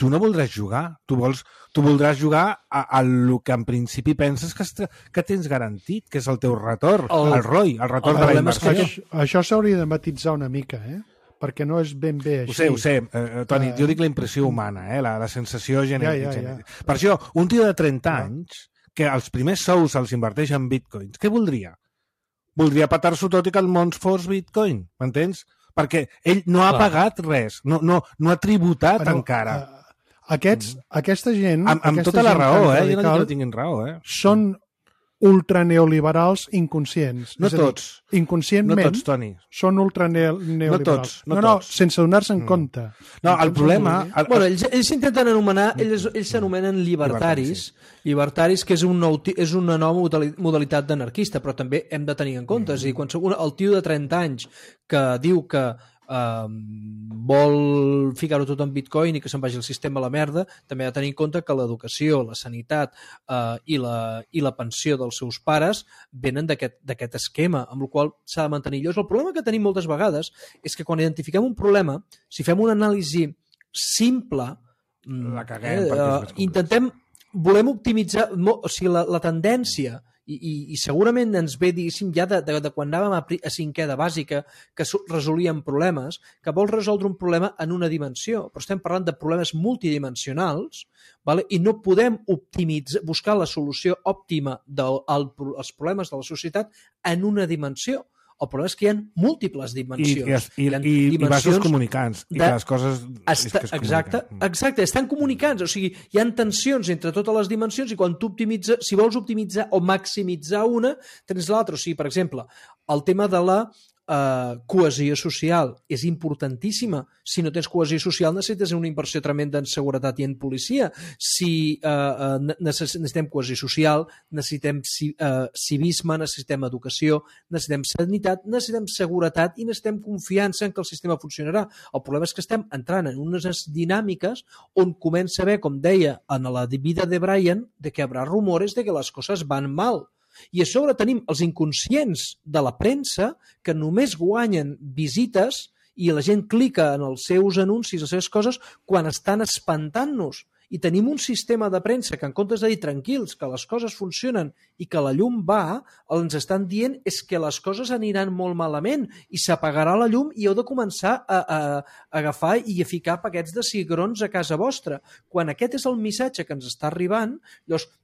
tu no voldràs jugar. Tu, vols, tu voldràs jugar a, a lo que en principi penses que, est, que tens garantit, que és el teu retorn, el, el R O I, el retorn el de la inversió. Això, això s'hauria de matitzar una mica, eh? Perquè no és ben bé així. Ho sé, ho sé, uh, Toni, uh, jo dic la impressió humana, eh? la, la sensació genètica. Ja, ja, ja. Per això, un tio de trenta ja. anys, que els primers sous els inverteix en bitcoins, què voldria? Voldria patar-s'ho tot i que el món fos bitcoin, m'entens? Perquè ell no ha Clar. pagat res, no, no, no ha tributat Però, encara. Uh, aquests, aquesta gent... Amb, amb aquesta tota la gent raó, eh? Radical, Jo no dic que tinguin raó, eh? Són ultraneoliberals inconscients. No és a dir, tots. Inconscientment no tots, Toni. Són ultraneoliberals. No tots. No, no, no tots. sense donar-se en mm. compte. No, el problema... El, bueno, ells, ells s'intenten anomenar, ells, ells s'anomenen libertaris, llibertaris, que és, un nou, és una nova modalitat d'anarquista, però també hem de tenir en compte. Mm. És a dir, quan el tio de trenta anys que diu que eh, vol ficar-ho tot en bitcoin i que se'n vagi el sistema a la merda, també ha de tenir en compte que l'educació, la sanitat eh, i, la, i la pensió dels seus pares venen d'aquest esquema, amb el qual s'ha de mantenir. Llavors, el problema que tenim moltes vegades és que quan identifiquem un problema, si fem una anàlisi simple, la caguem, eh, eh, intentem, volem optimitzar, o sigui, la, la tendència, i, i, i segurament ens ve, diguéssim, ja de, de, de quan anàvem a, a cinquè de bàsica, que resolíem problemes, que vols resoldre un problema en una dimensió, però estem parlant de problemes multidimensionals, vale? I no podem optimitzar, buscar la solució òptima dels problemes de la societat en una dimensió. El problema és que hi ha múltiples dimensions. I, i, i, i, i vasos comunicants. I que les coses... Esta, és que es exacte, exacte, estan comunicants. O sigui, hi ha tensions entre totes les dimensions i quan tu optimitzes, si vols optimitzar o maximitzar una, tens l'altra. O sigui, per exemple, el tema de la Uh, cohesió social és importantíssima. Si no tens cohesió social necessites una inversió tremenda en seguretat i en policia. Si uh, uh, necessitem cohesió social, necessitem uh, civisme, necessitem educació, necessitem sanitat, necessitem seguretat i necessitem confiança en que el sistema funcionarà. El problema és que estem entrant en unes dinàmiques on comença a haver, com deia en la vida de Brian, de que hi haurà rumores de que les coses van mal. I a sobre tenim els inconscients de la premsa que només guanyen visites i la gent clica en els seus anuncis, les seves coses, quan estan espantant-nos. I tenim un sistema de premsa que en comptes de dir tranquils, que les coses funcionen i que la llum va, el que ens estan dient és que les coses aniran molt malament i s'apagarà la llum i heu de començar a, a, a agafar i a ficar paquets de cigrons a casa vostra. Quan aquest és el missatge que ens està arribant, llavors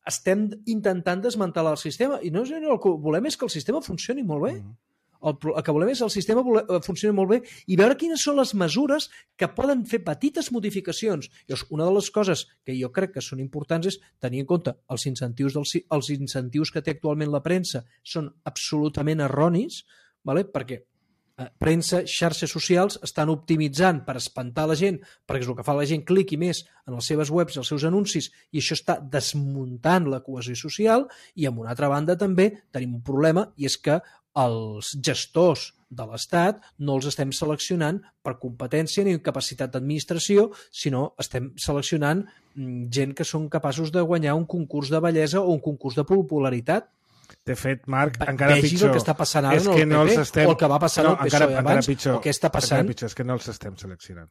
estem intentant desmantelar el sistema i no, el que volem és que el sistema funcioni molt bé. El, el que volem és que el sistema funcioni molt bé i veure quines són les mesures que poden fer petites modificacions. Llavors, una de les coses que jo crec que són importants és tenir en compte els incentius, dels, els incentius que té actualment la premsa són absolutament erronis, vale? Perquè premsa, xarxes socials estan optimitzant per espantar la gent, perquè és el que fa la gent cliqui més en les seves webs i els seus anuncis i això està desmuntant la cohesió social i, amb una altra banda, també tenim un problema i és que els gestors de l'Estat no els estem seleccionant per competència ni capacitat d'administració, sinó estem seleccionant gent que són capaços de guanyar un concurs de bellesa o un concurs de popularitat. De fet, Marc, encara Vegis pitjor. el que està passant ara és en el que P P no els estem... o el que va passar no, al P S O E encara, abans encara pitjor, o què està passant. Encara pitjor, és que no els estem seleccionant.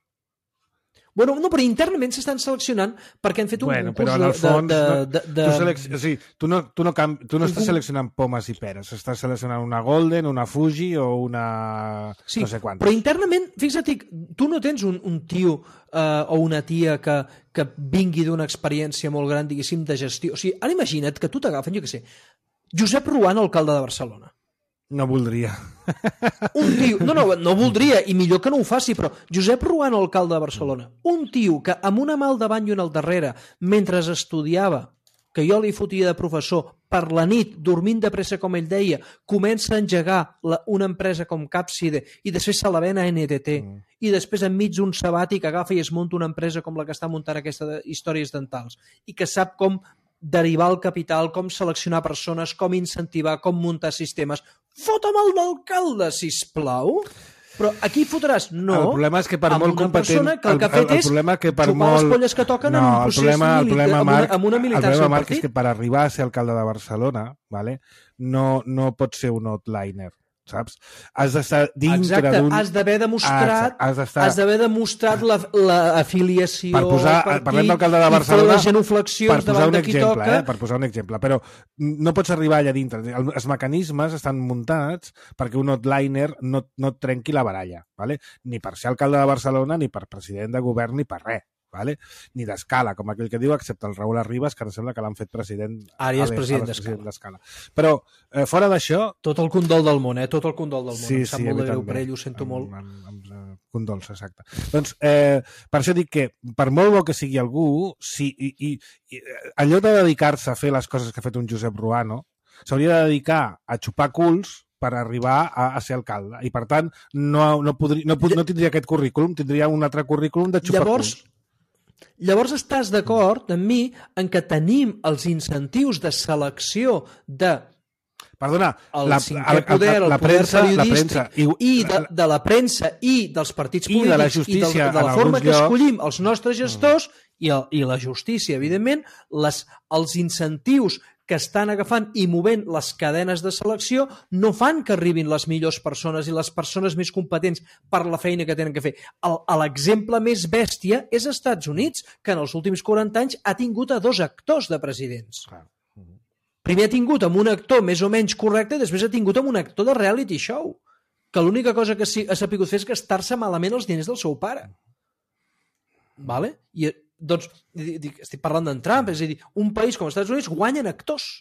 Bueno, no, però internament s'estan seleccionant perquè han fet un bueno, concurs però en el fons, de... no, de, de, tu, selec... o sigui, tu no, tu no, camp... tu no estàs un... seleccionant pomes i peres, estàs seleccionant una Golden, una Fuji o una... Sí, no sé quantes. Però internament, fixa't, tu no tens un, un tio uh, o una tia que, que vingui d'una experiència molt gran, diguéssim, de gestió. O sigui, ara imagina't que tu t'agafen, jo què sé, Josep Ruan, alcalde de Barcelona. No voldria. Un tio, no, no, no voldria, i millor que no ho faci, però Josep Ruan, alcalde de Barcelona, un tio que amb una mà al davant i una al darrere, mentre estudiava, que jo li fotia de professor, per la nit, dormint de pressa, com ell deia, comença a engegar la, una empresa com Capside i després se la ven a N T T mm. i després enmig d'un sabàtic agafa i es munta una empresa com la que està muntant aquesta de històries dentals i que sap com derivar el capital, com seleccionar persones, com incentivar, com muntar sistemes. Fota'm el d'alcalde, sisplau! Però aquí fotràs? No. El problema és que per amb molt una competent... persona que el que ha fet el, el, el és que per xupar molt... les polles que toquen no, en un procés el problema, el problema, amb, Marc, una, amb una militància el problema, Marc, partit. és que per arribar a ser alcalde de Barcelona, vale, no, no pot ser un outliner, saps? Has d'estar dintre d'un... Exacte, has d'haver demostrat, ah, has d'estar... has d'haver demostrat la, la afiliació per posar, al partit, parlem d'alcalde de Barcelona, les genuflexions per posar davant un de qui exemple, toca. Eh? Per posar un exemple, però no pots arribar allà dintre. Els mecanismes estan muntats perquè un outliner no, no et trenqui la baralla, vale? Ni per ser alcalde de Barcelona, ni per president de govern, ni per res. Vale? Ni d'escala, com aquell que diu, excepte el Raül Arribas, que em sembla que l'han fet president... Ara ja és president d'escala. Però, eh, fora d'això... Tot el condol del món, eh? Tot el condol del món. Sí, em sap sí, molt de greu també. per ell, ho sento amb, molt. Amb, amb, amb condols, exacte. Doncs, eh, per això dic que, per molt bo que sigui algú, si, i, i, i en lloc de dedicar-se a fer les coses que ha fet un Josep Ruano, s'hauria de dedicar a xupar culs per arribar a, a ser alcalde. I, per tant, no, no, podria, no, no tindria aquest currículum, tindria un altre currículum de xupar Llavors, culs. Llavors estàs d'acord amb mi en que tenim els incentius de selecció de Perdona, el la, cinquè el, poder, el la poder premsa, la premsa, periodístic i, de, de la premsa i dels partits I polítics de la justícia, i de, de la en forma alguns que llocs. escollim els nostres gestors mm. i, el, i la justícia, evidentment, les, els incentius que estan agafant i movent les cadenes de selecció no fan que arribin les millors persones i les persones més competents per la feina que tenen que fer. L'exemple més bèstia és als Estats Units, que en els últims quaranta anys ha tingut a dos actors de presidents. Clar. Primer ha tingut amb un actor més o menys correcte i després ha tingut amb un actor de reality show, que l'única cosa que ha sapigut fer és gastar-se malament els diners del seu pare. Vale? I, doncs, dic, estic parlant d'en Trump, és a dir, un país com els Estats Units guanyen actors.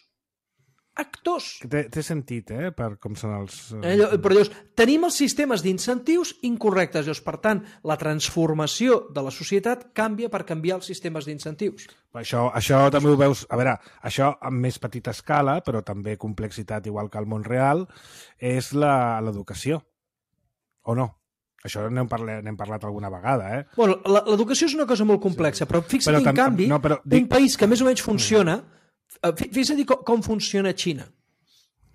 Actors. Té, té sentit, eh, per com són els... Allò, però llavors, tenim els sistemes d'incentius incorrectes. Llavors, per tant, la transformació de la societat canvia per canviar els sistemes d'incentius. Això, això també ho veus... A veure, això amb més petita escala, però també complexitat igual que al món real, és l'educació. O no? Això n'hem parlat, n'hem parlat alguna vegada, eh? Bueno, l'educació és una cosa molt complexa, sí. Però fixa't, però en canvi, no, però, dic... un país que més o menys funciona... Fixa't com, com funciona Xina.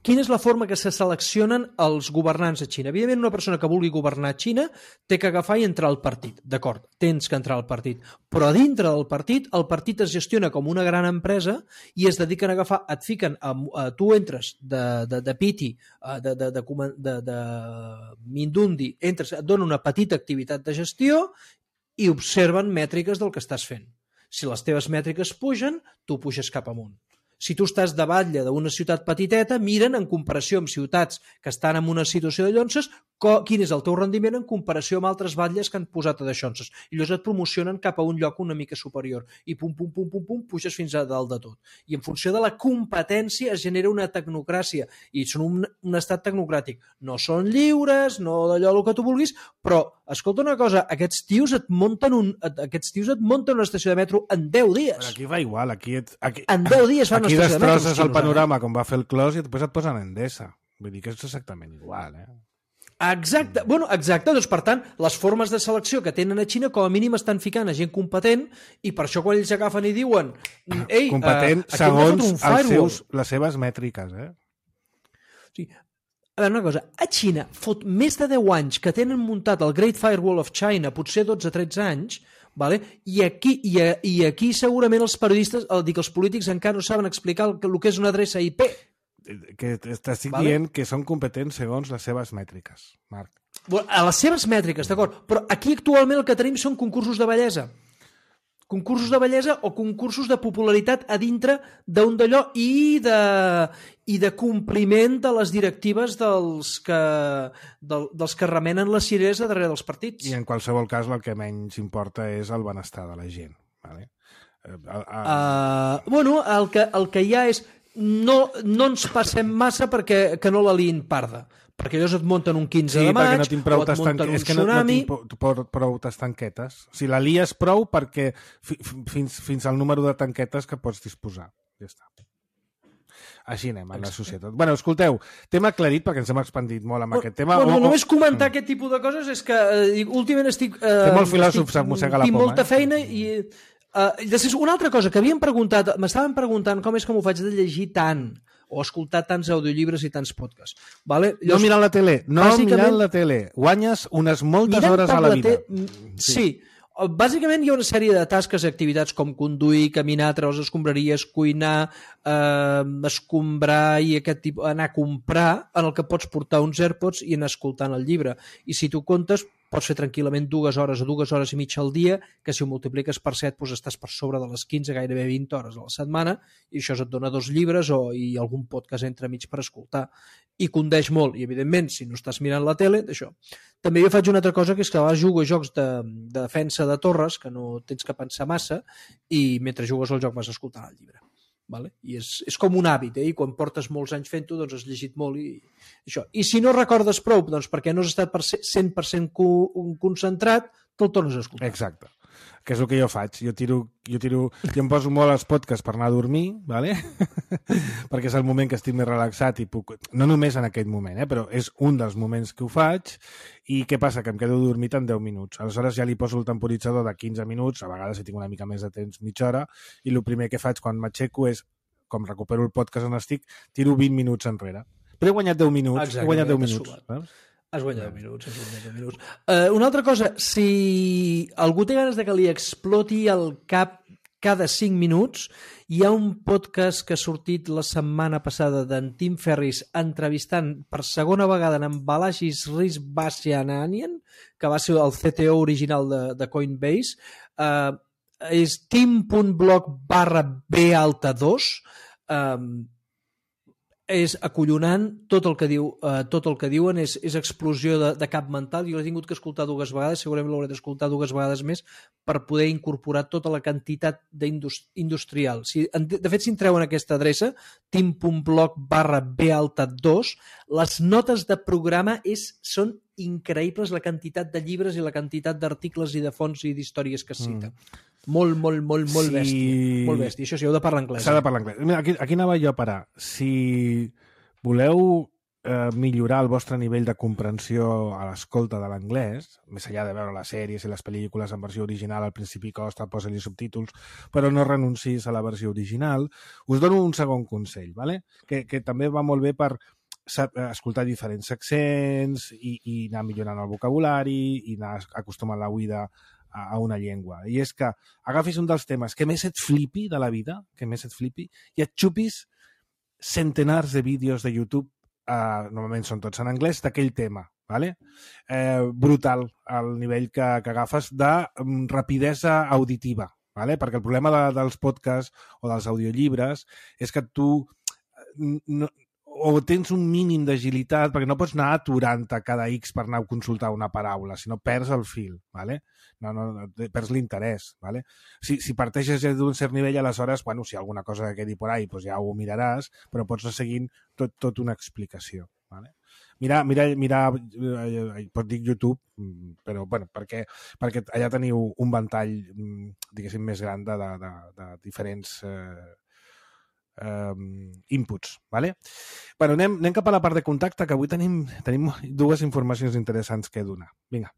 Quina és la forma que se seleccionen els governants a Xina? Evidentment, una persona que vulgui governar Xina té que agafar i entrar al partit. D'acord, tens que entrar al partit. Però a dintre del partit, el partit es gestiona com una gran empresa i es dediquen a agafar, et fiquen, a, a, tu entres de, de, de piti, de, de, de, de, de mindundi, entres, et donen una petita activitat de gestió i observen mètriques del que estàs fent. Si les teves mètriques pugen, tu puges cap amunt. Si tu estàs de batlle d'una ciutat petiteta, miren en comparació amb ciutats que estan en una situació de llonses, quin és el teu rendiment en comparació amb altres batlles que han posat a deixonses. I llavors et promocionen cap a un lloc una mica superior. I pum, pum, pum, pum, pum, puges fins a dalt de tot. I en funció de la competència es genera una tecnocràcia. I són un, un estat tecnocràtic. No són lliures, no d'allò el que tu vulguis, però, escolta una cosa, aquests tios et munten, un, aquests tios et munten una estació de metro en deu dies. Però aquí va igual. Aquí et, aquí, en deu dies fan una estació de metro. Aquí destrosses el panorama com va fer el Clos i després et posen Endesa. Vull dir que és exactament igual, eh? Exacte, bueno, exacte, doncs per tant les formes de selecció que tenen a Xina com a mínim estan ficant a gent competent i per això quan ells agafen i diuen ei, competent uh, segons els seus, les seves mètriques, eh? Sí. A veure, una cosa, a Xina fot més de deu anys que tenen muntat el Great Firewall of China, potser dotze o tretze anys, vale? I, aquí, i, i aquí segurament els periodistes, dic, els polítics encara no saben explicar el que, el que és una adreça I P. Que t'estic vale? dient que són competents segons les seves mètriques, Marc. Bueno, a les seves mètriques, d'acord, però aquí actualment el que tenim són concursos de bellesa. Concursos de bellesa o concursos de popularitat a dintre d'un d'allò i de, i de compliment de les directives dels que, del, dels que remenen les cireres a darrere dels partits. I en qualsevol cas el que menys importa és el benestar de la gent. Vale? Uh, uh, bueno, el que, el que hi ha és no, no ens passem massa perquè que no la liïn parda, perquè llavors et munten un quinze sí, de maig no o et munten un és que tsunami. No, no tinc prou, prou tanquetes. O sigui, la lies prou perquè fi, fins, fins al número de tanquetes que pots disposar. Ja està. Així anem en la societat. Bueno, escolteu, tema aclarit perquè ens hem expandit molt amb bueno, aquest tema. Bueno, o, o... només comentar mm. aquest tipus de coses és que eh, últimament estic... Eh, Té molt filòsof, se'm mossega la poma. Tinc molta eh? feina i... Uh, després, una altra cosa que havien preguntat, m'estaven preguntant com és que m'ho faig de llegir tant o escoltar tants audiollibre i tants podcasts. Vale? Llavors, no mirant la tele, no mirant la tele. Guanyes unes moltes hores a la vida. La sí. sí. Bàsicament hi ha una sèrie de tasques i activitats com conduir, caminar, treure les escombraries, cuinar, eh, escombrar i aquest tipus, anar a comprar, en el que pots portar uns AirPods i anar escoltant el llibre. I si tu comptes, pots fer tranquil·lament dues hores o dues hores i mitja al dia, que si ho multipliques per set doncs estàs per sobre de les quinze, gairebé vint hores a la setmana, i això et dona dos llibres o i algun podcast entremig per escoltar. I condeix molt, i evidentment, si no estàs mirant la tele, d'això. També jo faig una altra cosa, que és que a vegades jugo a jocs de, de defensa de torres, que no tens que pensar massa, i mentre jugues al joc vas escoltant el llibre. Vale? I és, és com un hàbit, eh? I quan portes molts anys fent-ho, doncs has llegit molt i això. I si no recordes prou, doncs perquè no has estat per cent per cent concentrat, te'l tornes a escoltar. Exacte. Que és el que jo faig. Jo tiro, jo tiro, jo em poso molt els podcasts per anar a dormir, vale? perquè és el moment que estic més relaxat i puc... No només en aquest moment, eh? Però és un dels moments que ho faig. I què passa? Que em quedo dormit en deu minuts. Aleshores ja li poso el temporitzador de quinze minuts, a vegades si tinc una mica més de temps, mitja hora, i el primer que faig quan m'aixeco és com recupero el podcast on estic, tiro vint minuts enrere. Però he guanyat deu minuts. Exacte, he guanyat deu t'has minuts. sumat. Eh? Has guanyat deu minuts, has guanyat deu minuts. Uh, una altra cosa, si algú té ganes de que li exploti el cap cada cinc minuts, hi ha un podcast que ha sortit la setmana passada d'en Tim Ferriss entrevistant per segona vegada en Balazs Risbasiananian, que va ser el C T O original de, de Coinbase. Uh, és tim.blog barra B alta dos. Um, és acollonant, tot el que diu, eh, tot el que diuen és, és explosió de, de cap mental. Jo l'he tingut que escoltar dues vegades, segurament l'hauré d'escoltar dues vegades més per poder incorporar tota la quantitat industrial. Si, de fet, si entreu en aquesta adreça, tim.blog barra B alta dos, les notes de programa és, són increïbles, la quantitat de llibres i la quantitat d'articles i de fonts i d'històries que es citen. Mm. Molt, molt, molt, molt si... bèstia. Molt bèstia. Això sí, heu de parlar anglès. S'ha de parlar anglès. Mira, aquí, aquí anava jo a parar. Si voleu eh, millorar el vostre nivell de comprensió a l'escolta de l'anglès, més enllà de veure les sèries i les pel·lícules en versió original, al principi costa, posa-li subtítols, però no renuncis a la versió original, us dono un segon consell, ¿vale? que, que també va molt bé per escoltar diferents accents i, i anar millorant el vocabulari i anar acostumant la oïda a una llengua. I és que agafis un dels temes que més et flipi de la vida, que més et flipi, i et xupis centenars de vídeos de YouTube, eh, normalment són tots en anglès, d'aquell tema. ¿Vale? Eh, brutal el nivell que, que agafes de um, rapidesa auditiva. ¿Vale? Perquè el problema de, dels podcasts o dels audiollibres és que tu no, o tens un mínim d'agilitat, perquè no pots anar aturant-te cada X per anar a consultar una paraula, sinó perds el fil, ¿vale? no, no, perds l'interès. ¿Vale? Si, si parteixes d'un cert nivell, aleshores, bueno, si hi ha alguna cosa que quedi por ahí, pues ja ho miraràs, però pots anar seguint tot, tot una explicació. ¿Vale? Mira, mira, mira, eh, pot dir YouTube, però bueno, perquè, perquè allà teniu un ventall, diguéssim, més gran de, de, de, de diferents eh, Um, inputs, ¿vale? Bueno, anem, anem cap a la part de contacte, que avui tenim, tenim dues informacions interessants que donar. Vinga.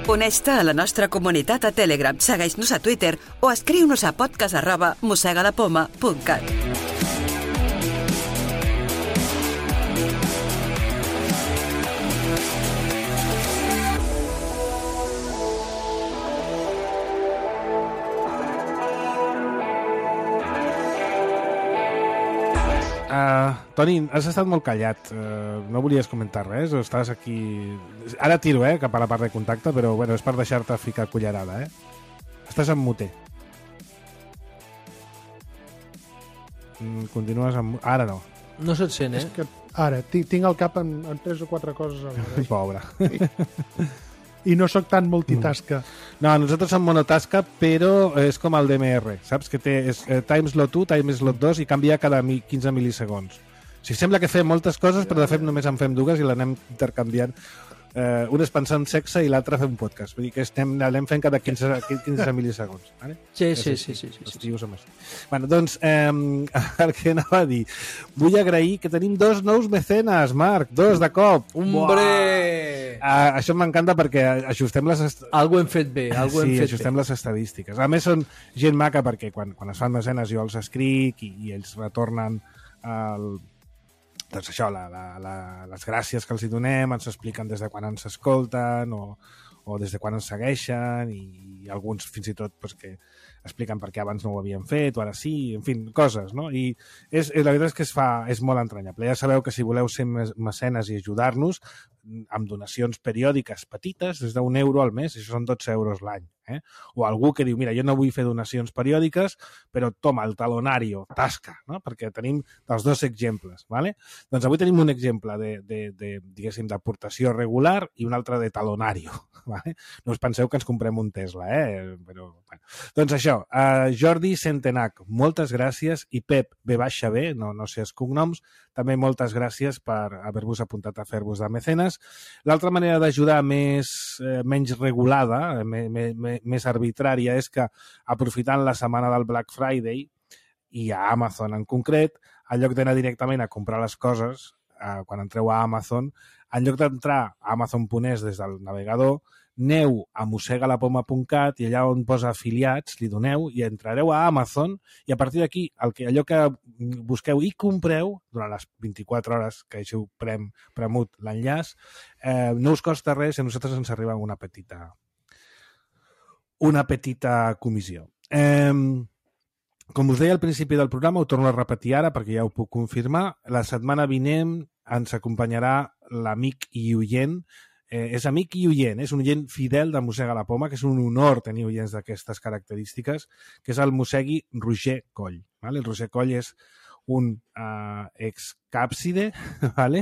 Uneix-te a la nostra comunitat a Telegram, segueix-nos a Twitter o escriu-nos a podcast arroba mossegadapoma punt cat. Uh, Toni, has estat molt callat. Uh, no volies comentar res? O estàs aquí... Ara tiro, eh, cap a la part de contacte, però bueno, és per deixar-te ficar cullerada, eh? Estàs en muter. Mm, continues amb... Ara no. No se't sent, eh? És que ara, tinc el cap en, en tres o quatre coses alhora. Pobre. I no sóc tan multitasca. No, nosaltres som monotasca, però és com el D M R, saps? Que té és, eh, time slot u, time slot dos i canvia cada quinze mil·lisegons. O sigui, sembla que fem moltes coses, però de fet només en fem dues i l'anem intercanviant. Eh, un és pensar en sexe i l'altre fer un podcast. Vull dir que estem, l'anem fent cada quinze, quinze mil·lisegons. Vale? Sí, sí, sí, sí, sí, Els sí. tios som així. Bueno, doncs, eh, el que anava a dir, vull agrair que tenim dos nous mecenes, Marc, dos de cop. Hombre! Uh, això m'encanta perquè ajustem les... Est... Algo hem fet bé, algo sí, hem fet ajustem bé. les estadístiques. A més, són gent maca perquè quan, quan es fan mecenes jo els escric i, i ells retornen el... doncs això, la, la, la, les gràcies que els hi donem, ens expliquen des de quan ens escolten o, o des de quan ens segueixen i, i alguns fins i tot pues, que expliquen per què abans no ho havien fet o ara sí, en fi, coses, no? I és, la veritat és que es fa, és molt entranyable. Ja sabeu que si voleu ser mecenes i ajudar-nos, amb donacions periòdiques petites, des d'un euro al mes, això són dotze euros l'any. Eh? O algú que diu, mira, jo no vull fer donacions periòdiques, però toma, el talonario, tasca, no? Perquè tenim els dos exemples. ¿Vale? Doncs avui tenim un exemple de, de, de, diguéssim, d'aportació regular i un altre de talonario. ¿Vale? No us penseu que ens comprem un Tesla, eh? Però, bueno. Doncs això, això, uh, Jordi Centenac, moltes gràcies, i Pep B baixa B, no, no sé els cognoms, també moltes gràcies per haver-vos apuntat a fer-vos de mecenes. L'altra manera d'ajudar més, eh, menys regulada, me, me, me, més arbitrària, és que aprofitant la setmana del Black Friday, i a Amazon en concret, en lloc d'anar directament a comprar les coses, eh, quan entreu a Amazon, en lloc d'entrar a amazon punt es des del navegador, aneu a mossegalapoma punt cat i allà on posa afiliats li doneu i entrareu a Amazon i a partir d'aquí el que, allò que busqueu i compreu durant les vint-i-quatre hores que hàgiu prem, premut l'enllaç, eh, no us costa res i a nosaltres ens arriba una petita una petita comissió. Eh, com us deia al principi del programa, ho torno a repetir ara perquè ja ho puc confirmar, la setmana vinent ens acompanyarà l'amic i oient. Eh, és amic i oient, és un oient fidel de Mossega la Poma, que és un honor tenir oients d'aquestes característiques, que és el mossegui Roger Coll. Vale? El Roger Coll és un uh, excàpside, vale?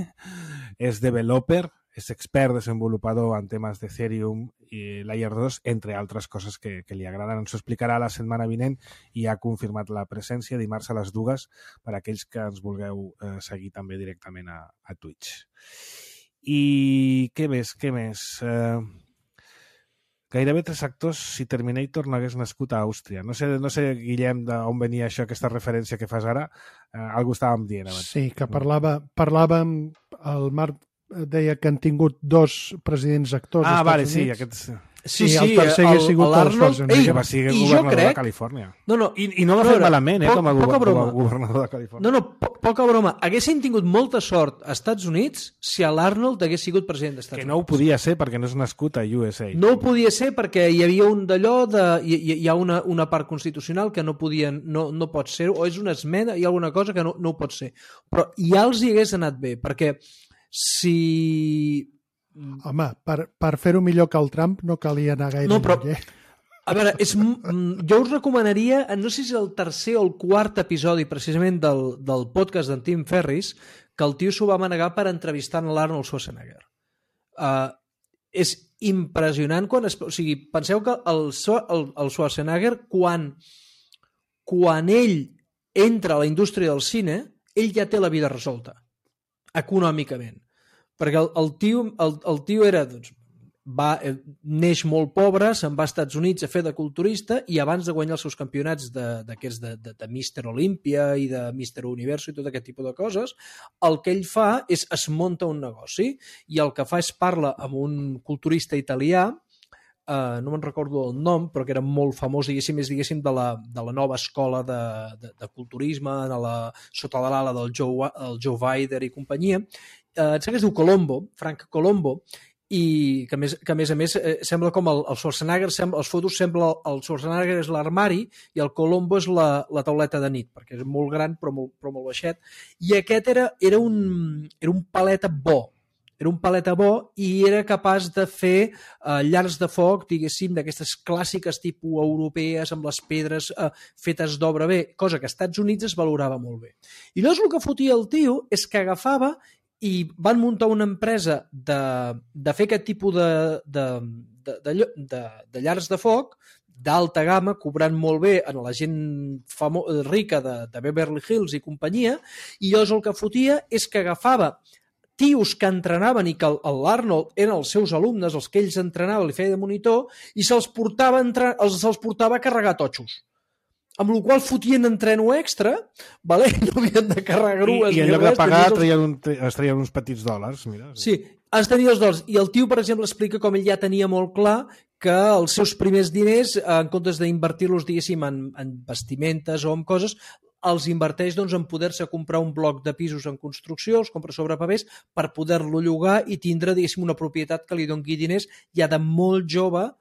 És developer, és expert desenvolupador en temes d'Ethereum i Layer dos, entre altres coses que, que li agraden. Ens ho explicarà la setmana vinent i ha confirmat la presència dimarts a les dues per a aquells que ens vulgueu eh, seguir també directament a, a Twitch. I què més, què més? Eh, gairebé tres actors si Terminator no hagués nascut a Àustria. No sé, no sé Guillem, d'on venia això, aquesta referència que fas ara. Eh, algú estàvem dient abans. Sí, que parlava, parlàvem, el Marc deia que han tingut dos presidents actors ah, als vale, Estats Units. sí, aquests... Sí, I sí, el tercer el, ha sigut l'Arnold... el Ei, que va ser governador crec... de Califòrnia. No, no, I, i no va fer malament, eh, po com a, poca go broma. com a governador de Califòrnia. No, no, po poca broma. Haguessin tingut molta sort als Estats Units si l'Arnold hagués sigut president dels Estats Que Units. no ho podia ser perquè no és nascut a U S A. No ho podia ser perquè hi havia un d'allò de... Hi, hi ha una, una part constitucional que no podien, no, no pot ser, o és una esmena, hi ha alguna cosa que no, no ho pot ser. Però ja els hi hagués anat bé, perquè si... Home, per, per fer-ho millor que el Trump no calia anar gaire No, però- lluny, eh? A veure, és, jo us recomanaria, no sé si és el tercer o el quart episodi precisament del, del podcast d'en Tim Ferris, que el tio s'ho va manegar per entrevistar en l'Arnold Schwarzenegger. Uh, és impressionant quan es... O sigui, penseu que el, el, el Schwarzenegger, quan, quan ell entra a la indústria del cine, ell ja té la vida resolta, econòmicament. Perquè el, el, tio, el, el tio era... Doncs, va, neix molt pobre, se'n va als Estats Units a fer de culturista i abans de guanyar els seus campionats d'aquests de, de, de, de mister Olympia i de mister Universo i tot aquest tipus de coses, el que ell fa és es munta un negoci i el que fa és parla amb un culturista italià, eh, no me'n recordo el nom, però que era molt famós, diguéssim, és diguéssim de la, de la nova escola de, de, de culturisme a la, sota de l'ala del Joe, el Joe Weider i companyia. Eh, em sembla que es diu Colombo, Frank Colombo, i que a més, que a més, a més eh, sembla com el, el Schwarzenegger, sembla, els fotos sembla el Schwarzenegger és l'armari i el Colombo és la, la tauleta de nit, perquè és molt gran però molt, però molt baixet, i aquest era, era, un, era un paleta bo, era un paleta bo i era capaç de fer eh, llars de foc, diguéssim, d'aquestes clàssiques tipus europees amb les pedres eh, fetes d'obra bé, cosa que als Estats Units es valorava molt bé. I llavors el que fotia el tio és que agafava i van muntar una empresa de, de fer aquest tipus de, de, de, de, de, de llars de foc d'alta gamma, cobrant molt bé a la gent famo, rica de, de Beverly Hills i companyia, i llavors el que fotia és que agafava tios que entrenaven i que l'Arnold eren els seus alumnes, els que ells entrenaven, li feia de monitor, i se'ls portava, entre, els, se'ls portava a carregar totxos. Amb la qual fotien entreno extra, vale? No havien de carregar grues. I, i en lloc de pagar els... traien un, es traien uns petits dòlars. Mira, sí, es tenia els dòlars. I el tio, per exemple, explica com ell ja tenia molt clar que els seus primers diners, en comptes d'invertir-los, diguéssim, en, en vestimentes o en coses, els inverteix doncs, en poder-se comprar un bloc de pisos en construcció, els compra sobre papers, per poder-lo llogar i tindre, diguéssim, una propietat que li doni diners ja de molt jove,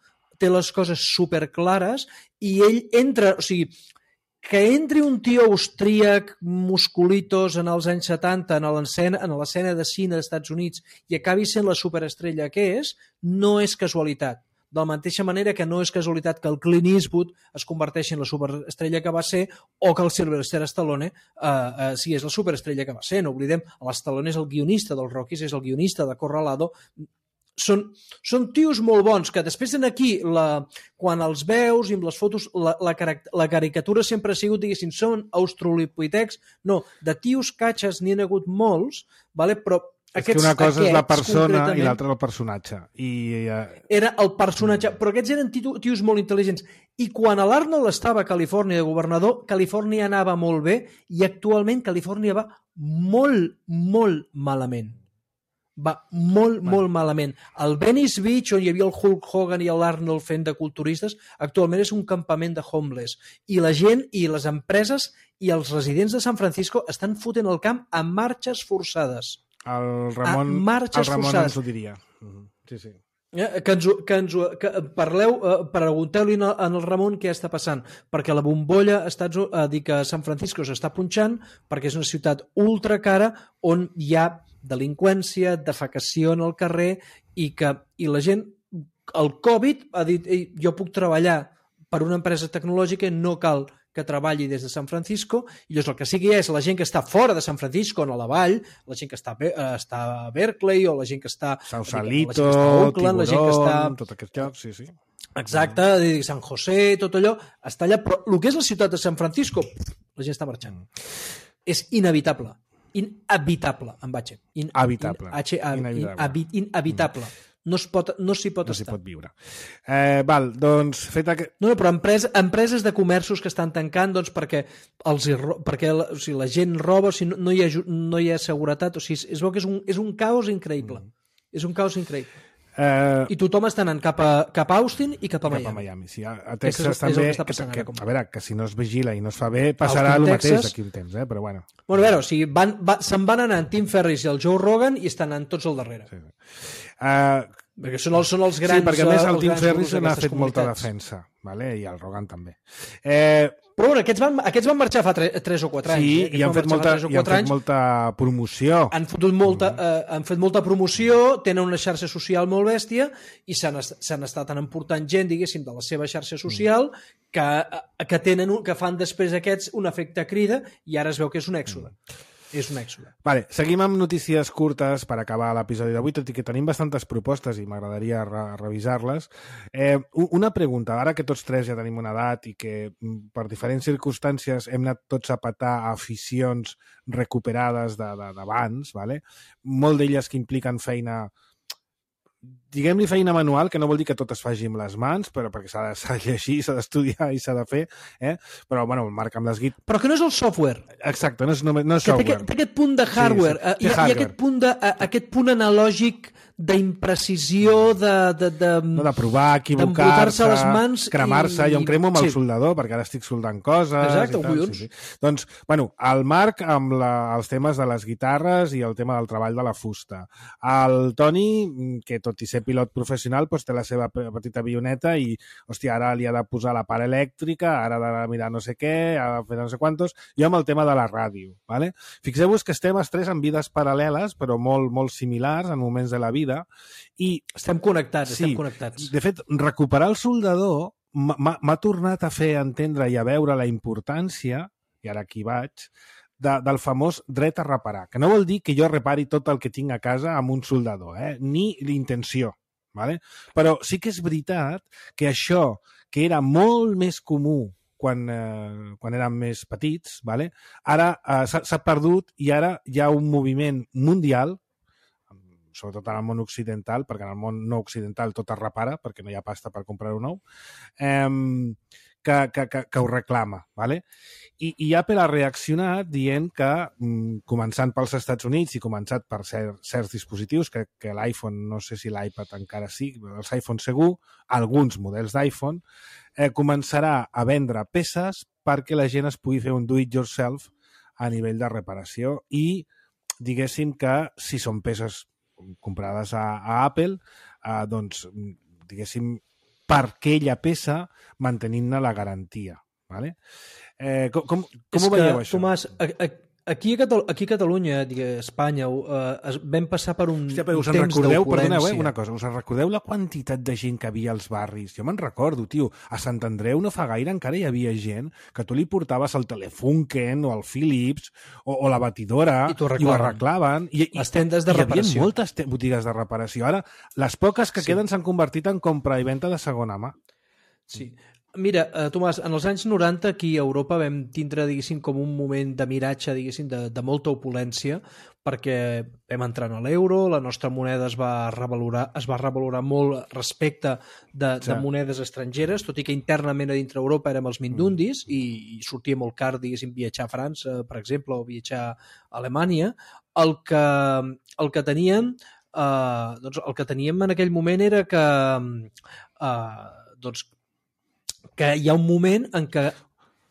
té les coses superclares i ell entra, o sigui, que entri un tio austríac, musculitos, en els anys setanta, en l'escena de cine dels Estats Units i acabi sent la superestrella que és, no és casualitat. De la mateixa manera que no és casualitat que el Clint Eastwood es converteixi en la superestrella que va ser o que el Sylvester Stallone eh, eh, sigués la superestrella que va ser. No oblidem, l'Stallone és el guionista dels Rockies, és el guionista de Corralado. són, són tios molt bons, que després en aquí, la, quan els veus i amb les fotos, la, la, la caricatura sempre ha sigut, diguéssim, són australopitecs, no, de tios catxes n'hi ha hagut molts, vale? Però és aquests, que una cosa és la persona concretament, i l'altra el personatge. I, uh... era el personatge, però aquests eren tios molt intel·ligents. I quan l'Arnold estava a Califòrnia de governador, Califòrnia anava molt bé i actualment Califòrnia va molt, molt malament. Va molt, bueno. molt malament. El Venice Beach, on hi havia el Hulk Hogan i l'Arnold fent de culturistes, actualment és un campament de homeless. I la gent i les empreses i els residents de San Francisco estan fotent el camp a marxes forçades. El Ramon, el Ramon ens ho diria. Sí, sí. Que ens, que ens, que parleu, pregunteu-li en el Ramon què està passant, perquè la bombolla està a dir que San Francisco s'està punxant perquè és una ciutat ultra cara on hi ha delinqüència, defecació en el carrer i que i la gent, el Covid ha dit, jo puc treballar per una empresa tecnològica, no cal que treballi des de San Francisco, i llavors el que sigui és la gent que està fora de San Francisco, on a la vall, la gent que està, està a Berkeley, o la gent que està Sausalito, Oakland, la gent que està... tot aquest lloc, sí, sí. Exacte, San José, tot allò, està allà, però el que és la ciutat de San Francisco, la gent està marxant. És inevitable. Inhabitable, amb H. Habitable. H -A, inhabitable. Inhabitable. No s'hi pot, no s'hi pot no estar. No s'hi pot viure. Eh, val, doncs, fet aquest... No, no, però empresa, empreses de comerços que estan tancant doncs, perquè, els, perquè la, o sigui, la gent roba, o sigui, no, no, hi ha, no hi ha seguretat, o sigui, es veu que és un, és un caos increïble. Mm. És un caos increïble. Uh, I tothom està anant cap a, cap a Austin i cap a Miami. Cap a Miami, sí. A Texas és, també, és que, que, a veure, que si no es vigila i no es fa bé, passarà Austin, el Texas, mateix d'aquí un temps, eh? Però bueno. Bueno, a veure, o sigui, van, va, se'n van anar en Tim Ferriss i el Joe Rogan i estan anant tots al darrere. Sí. Uh, perquè són els, són els grans... Sí, perquè a més el Tim Ferriss n'ha fet molta defensa, vale? I el Rogan també. Eh, Però bueno, aquests van, aquests van marxar fa tres o quatre anys. Sí, eh? i han fet, molta, i han fet molta promoció. Han, fotut molta, mm. eh, han fet molta promoció, tenen una xarxa social molt bèstia i s'han estat emportant gent, diguéssim, de la seva xarxa social mm. que, que, tenen, que fan després aquests un efecte crida i ara es veu que és un èxode. Mm. És un èxode. Vale, seguim amb notícies curtes per acabar l'episodi d'avui, tot i que tenim bastantes propostes i m'agradaria re revisar-les. Eh, una pregunta, ara que tots tres ja tenim una edat i que per diferents circumstàncies hem anat tots a petar aficions recuperades d'abans, vale? Molt d'elles que impliquen feina... diguem-li feina manual, que no vol dir que tot es faci amb les mans, però perquè s'ha de llegir, s'ha d'estudiar i s'ha de fer, eh? Però, bueno, el Marc amb les guit... Però que no és el software. Exacte, no és, no, no és que software. Té, té aquest punt de hardware, sí, sí. Hi, ha, hi ha aquest punt, de, aquest punt analògic d'imprecisió, de, de, de, no, de provar, equivocar-se, les mans cremar-se. I... Jo em cremo amb sí. el soldador, perquè ara estic soldant coses. Exacte, i tal, sí, sí. Doncs, bueno, el Marc amb la, els temes de les guitarres i el tema del treball de la fusta. El Toni, que tot i ser pilot professional, doncs té la seva petita avioneta i, hòstia, ara li ha de posar la part elèctrica, ara ha de mirar no sé què, ha de fer no sé quantos, jo amb el tema de la ràdio, ¿vale? Fixeu-vos que estem els tres en vides paral·leles, però molt, molt similars en moments de la vida, i... Estem connectats, sí, estem connectats. De fet, recuperar el soldador m'ha tornat a fer entendre i a veure la importància, i ara aquí vaig, de, del famós dret a reparar, que no vol dir que jo repari tot el que tinc a casa amb un soldador, eh? Ni l'intenció. Vale? Però sí que és veritat que això, que era molt més comú quan, eh, quan érem més petits, vale? Ara eh, s'ha perdut i ara hi ha un moviment mundial, sobretot en el món occidental, perquè en el món no occidental tot es repara, perquè no hi ha pasta per comprar-ho nou, eh, que, que, que, que ho reclama. Vale? I, I Apple ha reaccionat dient que, començant pels Estats Units i començat per cer certs dispositius, que, que l'iPhone, no sé si l'iPad encara sí, els iPhone segur, alguns models d'iPhone, eh, començarà a vendre peces perquè la gent es pugui fer un do-it-yourself a nivell de reparació i diguéssim que si són peces comprades a, a Apple, eh, doncs, diguéssim, per aquella peça mantenint-ne la garantia. Vale? Eh, com com, com ho veieu, que, això? Tomàs, a, a, Aquí a, Catal aquí a Catalunya, a Espanya, eh, vam passar per un, Hòstia, però us en temps recordeu, perdoneu, eh, d'opulència. una cosa, us en recordeu la quantitat de gent que havia als barris? Jo me'n recordo, tio, a Sant Andreu no fa gaire encara hi havia gent que tu li portaves el Telefunken o el Philips o, o la batidora I t'ho i ho arreglaven. arreglaven. I, i, Les tendes de hi reparació. havia moltes botigues de reparació. Ara, les poques que Sí. queden s'han convertit en compra i venda de segona mà. Sí. Mira, eh, Tomàs, en els anys noranta aquí a Europa vam tindre, diguéssim, com un moment de miratge, diguéssim, de, de molta opulència, perquè vam entrar en l'euro, la nostra moneda es va revalorar, es va revalorar molt respecte de, Sí. de monedes estrangeres, tot i que internament a dintre Europa érem els mindundis mm. i, i sortia molt car, diguéssim, viatjar a França, per exemple, o viatjar a Alemanya. El que, el que teníem, eh, doncs el que teníem en aquell moment era que eh, doncs que hi ha un moment en què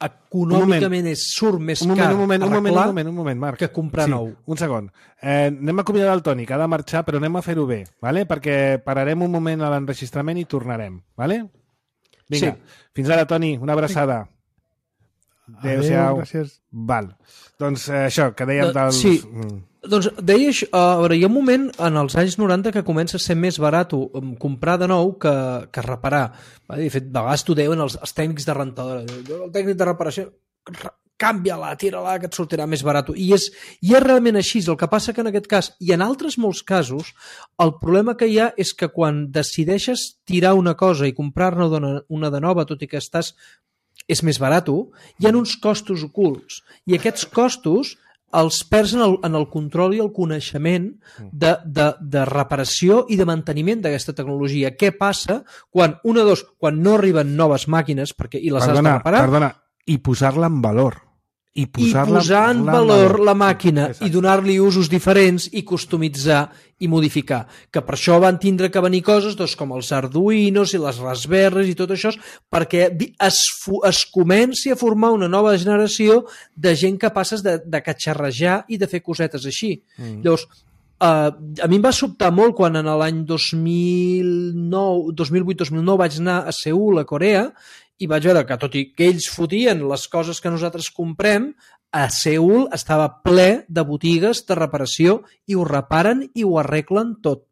econòmicament és, surt més Un moment, car un moment, un moment, arreglar un moment, un moment, Marc. que comprar sí, nou. Un segon. Eh, anem a acomiadar el Toni, que ha de marxar, però anem a fer-ho bé, vale? Perquè pararem un moment a l'enregistrament i tornarem. Vale? Vinga, Sí. fins ara, Toni, una abraçada. Adéu-siau. Adéu, gràcies. Val. Doncs eh, això, que dèiem De- dels... sí. Mm. Doncs deia això, a veure, hi ha un moment en els anys noranta que comença a ser més barat um, comprar de nou que, que reparar. De fet, de vegades t'ho deuen els, els tècnics de rentadora. El tècnic de reparació, canvia-la, tira-la, que et sortirà més barat. I és, I és realment així. El que passa que en aquest cas, i en altres molts casos, el problema que hi ha és que quan decideixes tirar una cosa i comprar-ne una, una de nova, tot i que estàs és més barat, hi ha uns costos ocults. I aquests costos els perds en el, en el control i el coneixement de, de, de reparació i de manteniment d'aquesta tecnologia. Què passa quan, una o dos, quan no arriben noves màquines perquè, i les Perdona, has de reparar, perdona, i posar-la en valor. I i posar, posar en valor la màquina i donar-li usos diferents i customitzar i modificar. Que per això van tindre que venir coses doncs, com els Arduinos i les Raspberries i tot això, perquè es, es comenci a formar una nova generació de gent capaces de, de catxarrejar i de fer cosetes així. Mm. Llavors, Uh, a mi em va sobtar molt quan en l'any dos mil nou, dos mil vuit dos mil nou vaig anar a Seül, a Corea, i vaig veure que tot i que ells fotien les coses que nosaltres comprem, a Seül estava ple de botigues de reparació i ho reparen i ho arreglen tot.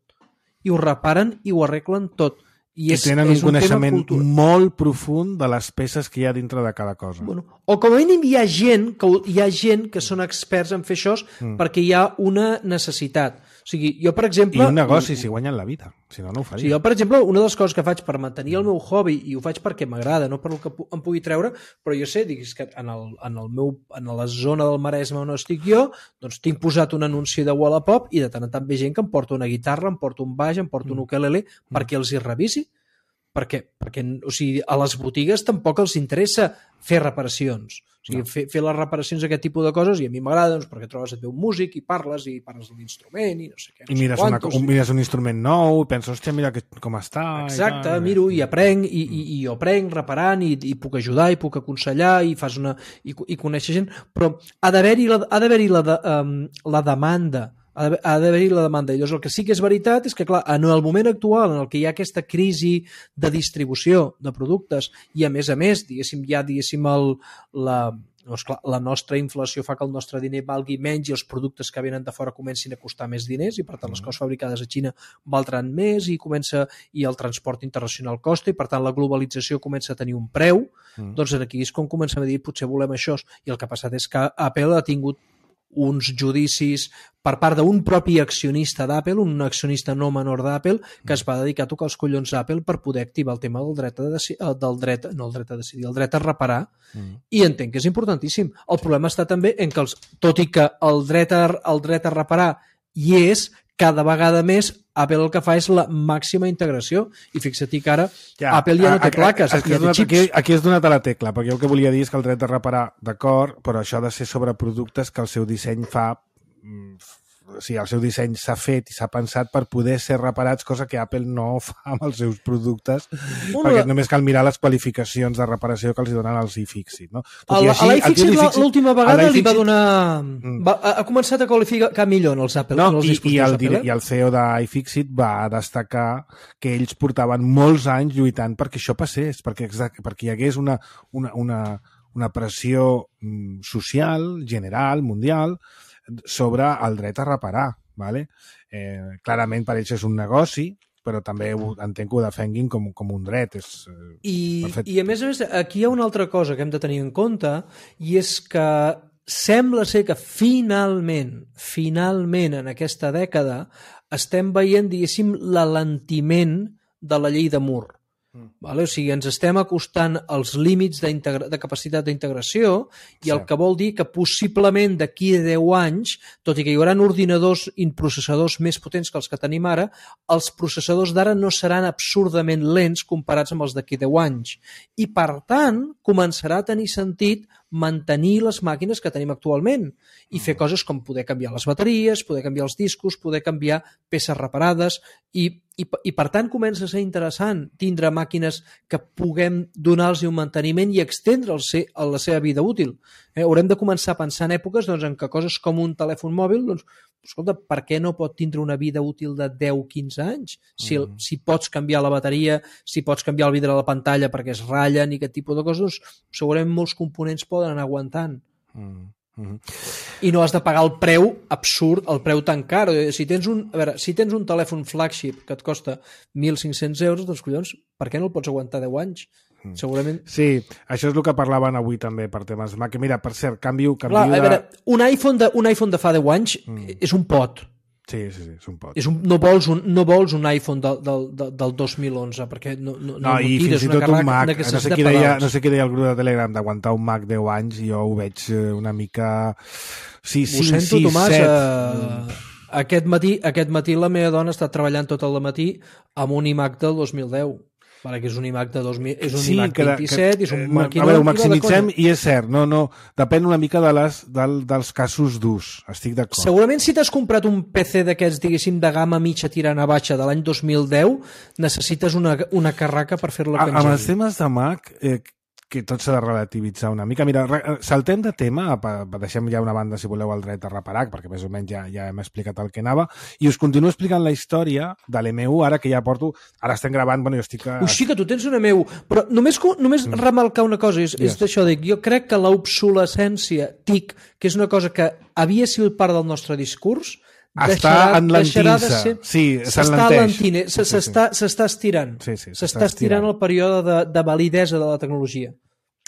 I ho reparen i ho arreglen tot. I, és, I tenen és un coneixement cultura. molt profund de les peces que hi ha dintre de cada cosa. Bueno, o com a mínim hi ha gent que, hi ha gent que són experts en fer això mm. perquè hi ha una necessitat. O sigui, jo, per exemple... I un negoci, si guanyen la vida. Si no, no ho faria. O sigui, jo, per exemple, una de les coses que faig per mantenir el meu hobby, i ho faig perquè m'agrada, no per el que em pugui treure, però jo sé, diguis que en, el, en, el meu, en la zona del Maresme on estic jo, doncs tinc posat un anunci de Wallapop i de tant en tant ve gent que em porta una guitarra, em porta un baix, em porta un ukelele, mm. perquè els hi revisi. Perquè, perquè o sigui, a les botigues tampoc els interessa fer reparacions. O sigui, no. fer, fer les reparacions d'aquest tipus de coses, i a mi m'agrada doncs, perquè trobes et ve un músic i parles i parles de l'instrument i no sé què. No I mires, sé una, un, mires un instrument nou i penses, hòstia, mira que, com està. Exacte, i tal. miro i aprenc i, i, i jo aprenc reparant i, i puc ajudar i puc aconsellar i fas una i, i conèixer gent, però ha d'haver-hi la, ha d'haver-hi la, de, um, la demanda ha d'haver-hi la demanda. I llavors el que sí que és veritat és que, clar, en el moment actual en el que hi ha aquesta crisi de distribució de productes i, a més a més, diguéssim, ja diguéssim el, la, doncs, clar, la nostra inflació fa que el nostre diner valgui menys i els productes que venen de fora comencin a costar més diners i, per tant, les coses fabricades a Xina valdran més i comença i el transport internacional costa i, per tant, la globalització comença a tenir un preu, mm. doncs aquí és com comencem a dir potser volem això. I el que ha passat és que Apple ha tingut uns judicis per part d'un propi accionista d'Apple, un accionista no menor d'Apple, que es va dedicar a tocar els collons d'Apple per poder activar el tema del dret a decidir, del dret, no el dret a decidir, el dret a reparar, mm. i entenc que és importantíssim. El problema està també en que, els, tot i que el dret a, el dret a reparar hi és, cada vegada més Apple el que fa és la màxima integració. I fixa-t'hi que ara ja, Apple ja no té plaques, aquí, ja té xips. Aquí, aquí has donat a la tecla, perquè el que volia dir és que el dret de reparar, d'acord, però això ha de ser sobre productes que el seu disseny fa... O sigui, el seu disseny s'ha fet i s'ha pensat per poder ser reparats, cosa que Apple no fa amb els seus productes, bueno, perquè només cal mirar les qualificacions de reparació que els donen els iFixit. No? A l'iFixit l'última vegada li va donar... Va, ha començat a qualificar millor en els Apple. No, en els i, i, el, Apple, eh? i el C E O d'iFixit va destacar que ells portaven molts anys lluitant perquè això passés, perquè, perquè hi hagués una... una, una una pressió mm, social, general, mundial, sobre el dret a reparar. ¿vale? Eh, clarament per ells és un negoci, però també ho, entenc que ho defenguin com, com un dret. És, eh, I, perfecte. I a més a més, aquí hi ha una altra cosa que hem de tenir en compte, i és que sembla ser que finalment, finalment en aquesta dècada estem veient, diguéssim, l'alentiment de la llei de Moore. Mm. Vale? O sigui, ens estem acostant als límits de capacitat d'integració i sí. El que vol dir que possiblement d'aquí a deu anys, tot i que hi haurà ordinadors i processadors més potents que els que tenim ara, els processadors d'ara no seran absurdament lents comparats amb els d'aquí a deu anys. I, per tant, començarà a tenir sentit mantenir les màquines que tenim actualment i fer coses com poder canviar les bateries, poder canviar els discos, poder canviar peces reparades i, i, i per tant comença a ser interessant tindre màquines que puguem donar-los un manteniment i extendre la seva vida útil. Eh, haurem de començar a pensar en èpoques doncs, en què coses com un telèfon mòbil, doncs, escolta, per què no pot tindre una vida útil de deu a quinze anys? Si, el, si pots canviar la bateria, si pots canviar el vidre de la pantalla perquè es ratllen i aquest tipus de coses, segurament molts components poden anar aguantant. Mm. Mm-hmm. I no has de pagar el preu absurd, el preu tan car. Si tens un, a veure, si tens un telèfon flagship que et costa mil cinc-cents euros, doncs collons, per què no el pots aguantar deu anys? Mm. Segurament... Sí, això és el que parlaven avui també per temes Mac. Mira, per cert, canvio... canvio Clar, a veure, de... un iPhone de, un iPhone de fa deu anys mm. és un pot. Sí, sí, sí, és un pot. És un, no, vols un, no vols un iPhone del, del, del dos mil onze, perquè no, no, no, no i fins i tot un Mac, no sé, qui deia, no sé qui deia el grup de Telegram d'aguantar un Mac deu anys, jo ho veig una mica... Sí, ho cinc, sento, sis, Tomàs, set... Uh, aquest, matí, aquest matí la meva dona està treballant tot el matí amb un iMac del dos mil deu. Vale, que és un iMac de dos mil, és un sí, iMac que, vint-i-set, que, és un maquinot... A veure, ho maximitzem i és cert, no, no, depèn una mica de les, del, dels casos d'ús, estic d'acord. Segurament si t'has comprat un P C d'aquests, diguéssim, de gamma mitja tirant a baixa de l'any dos mil deu, necessites una, una carraca per fer-la que amb els temes de Mac... Eh, que tot s'ha de relativitzar una mica. Mira, saltem de tema, deixem ja una banda, si voleu, el dret a reparar, perquè més o menys ja, ja hem explicat el que anava, i us continuo explicant la història de l'M U, ara que ja porto... Ara estem gravant, bueno, jo estic... A... Ui, sí que tu tens un M U, però només, només mm. remarcar una cosa, és, yes. és d'això, dic, jo crec que l'obsolescència T I C, que és una cosa que havia sigut part del nostre discurs, està enlentint-se, de sí, s'enlenteix. S'està sí, sí. estirant. Sí, sí, s'està estirant el període de, de validesa de la tecnologia.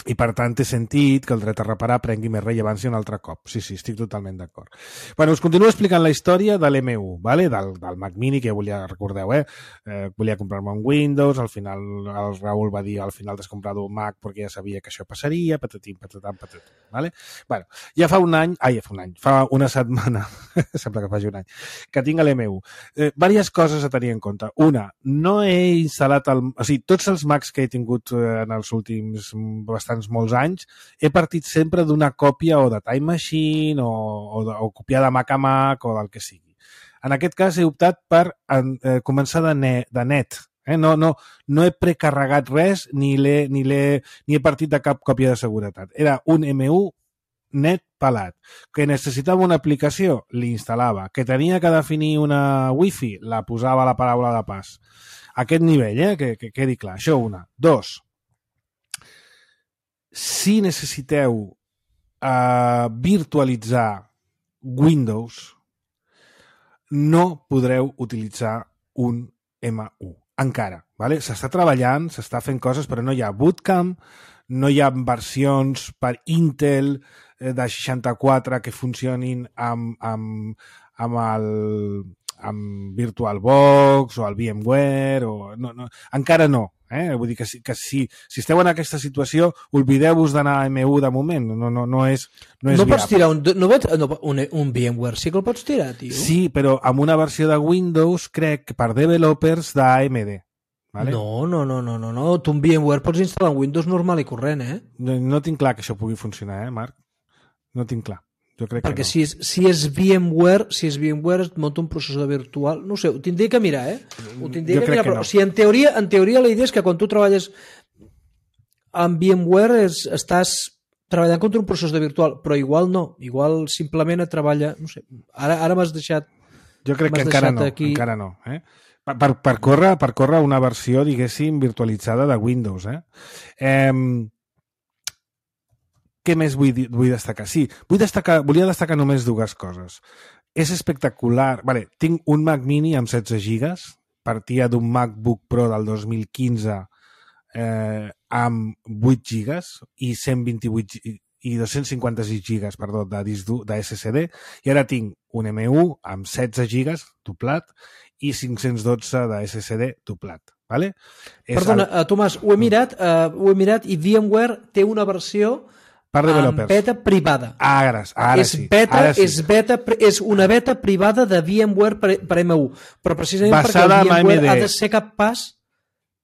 I per tant té sentit que el dret a reparar prengui més rellevància un altre cop. Sí, sí, estic totalment d'acord. Bueno, us continuo explicant la història de l'M U, ¿vale? del, del Mac Mini, que ja volia, recordeu, eh? eh volia comprar-me un Windows, al final el Raül va dir al final t'has comprat un Mac perquè ja sabia que això passaria, patatim, patatam, patatum, ¿vale? Bueno, ja fa un any, ai, ja fa un any, fa una setmana, sembla que faci un any, que tinc l'M U. Eh, diverses coses a tenir en compte. Una, no he instal·lat el... O sigui, tots els Macs que he tingut en els últims bastants molts anys, he partit sempre d'una còpia o de Time Machine o, o, de, o copiar de Mac a Mac o del que sigui. En aquest cas he optat per eh, començar de, ne, de net. Eh? No, no, no he precarregat res ni, l'he, ni, l'he, ni he partit de cap còpia de seguretat. Era un M U net pelat. Que necessitava una aplicació, l'instal·lava. Que tenia que definir una wifi, la posava a la paraula de pas. Aquest nivell, eh? que, que quedi clar. Això una. Dos. Si necessiteu uh, virtualitzar Windows, no podreu utilitzar un M U. Encara. Vale? S'està treballant, s'està fent coses, però no hi ha bootcamp, no hi ha versions per Intel de seixanta-quatre que funcionin amb, amb, amb el amb VirtualBox o el VMware o... No, no, encara no. Eh? Vull dir que, si, que si, si esteu en aquesta situació, oblideu-vos d'anar a M U de moment. No, no, no és, no és no pots tirar un, no, no, un, un VMware, sí que el pots tirar, tio. Sí, però amb una versió de Windows, crec, per developers d'A M D. Vale? No, no, no, no, no, no. Tu un VMware pots instal·lar un Windows normal i corrent, eh? No, no tinc clar que això pugui funcionar, eh, Marc? No tinc clar. Jo crec perquè que no. si, és, si és VMware, si és VMware es munta un processador virtual, no ho sé, ho tindria que mirar, eh? Ho tindria jo que mirar, però no. o sigui, en teoria, en teoria la idea és que quan tu treballes amb VMware és, estàs treballant contra un processador virtual, però igual no, igual simplement et treballa, no sé, ara, ara m'has deixat... Jo crec que encara no, aquí... encara no, eh? Per, per, per, córrer, per córrer una versió, diguéssim, virtualitzada de Windows, eh? Eh... què més vull, vull destacar? Sí, vull destacar, volia destacar només dues coses. És espectacular. Vale, tinc un Mac Mini amb setze gigas, partia d'un MacBook Pro del dos mil quinze eh, amb vuit gigas i cent vint-i-vuit i dos-cents cinquanta-sis gigas, perdó, de disc dur, de S S D, i ara tinc un M u amb setze gigas doblat i cinc-cents dotze de S S D doblat. Vale? Perdona, el... Tomàs, ho he mirat, uh, ho he mirat i VMware té una versió per amb beta privada. Ara, ara és sí. Beta, ara sí. És, beta, és una beta privada de VMware per, per M u, però precisament basada perquè el VMware ha de ser capaç...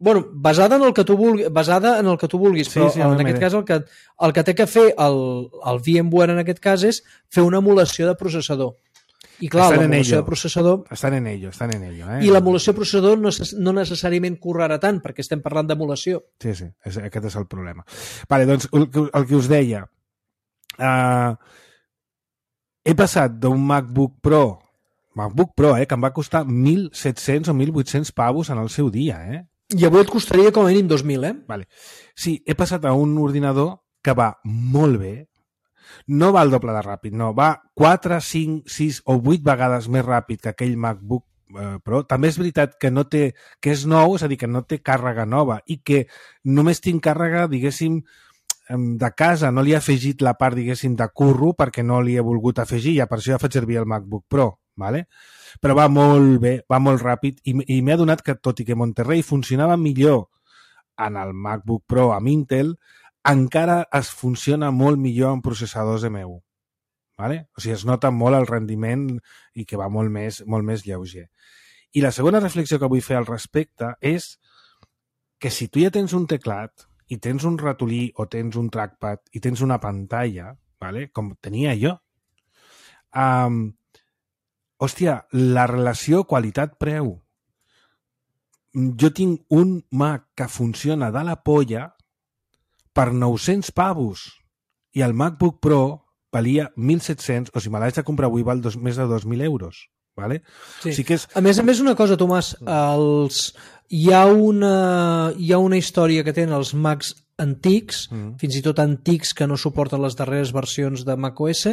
Bueno, basada en el que tu vulguis, basada en el que tu vulguis, però sí, sí, en aquest cas el que, el que té que fer el, el VMware en aquest cas és fer una emulació de processador. I clar, l'emulació de processador... Estan en ello, estan en ello. Eh? I l'emulació de processador no, no necessàriament correrà tant, perquè estem parlant d'emulació. Sí, sí, és, aquest és el problema. Vale, doncs, el, el que us deia, uh, he passat d'un MacBook Pro, MacBook Pro, eh, que em va costar mil set-cents o mil vuit-cents pavos en el seu dia, eh? I avui et costaria com a mínim dos mil, eh? Vale. Sí, he passat a un ordinador que va molt bé, no va al doble de ràpid, no, va quatre, cinc, sis o vuit vegades més ràpid que aquell MacBook eh, Pro. També és veritat que no té, que és nou, és a dir, que no té càrrega nova i que només tinc càrrega, diguéssim, de casa, no li he afegit la part, diguéssim, de curro perquè no li he volgut afegir, ja per això ja faig servir el MacBook Pro, vale? Però va molt bé, va molt ràpid i, i m'he adonat que, tot i que Monterrey funcionava millor en el MacBook Pro amb Intel, encara es funciona molt millor en processadors M u. Vale? O sigui, es nota molt el rendiment i que va molt més, molt més lleuger. I la segona reflexió que vull fer al respecte és que si tu ja tens un teclat i tens un ratolí o tens un trackpad i tens una pantalla, vale? Com tenia jo, um, hòstia, la relació qualitat-preu. Jo tinc un Mac que funciona de la polla per nou-cents pavos i el MacBook Pro valia mil set-cents, o si me l'haig de comprar avui val dos, més de dos mil euros. Vale? Sí. O sigui que és... A més a més, una cosa, Tomàs, els... hi, ha una... hi ha una història que tenen els Macs antics, mm. fins i tot antics que no suporten les darreres versions de macOS,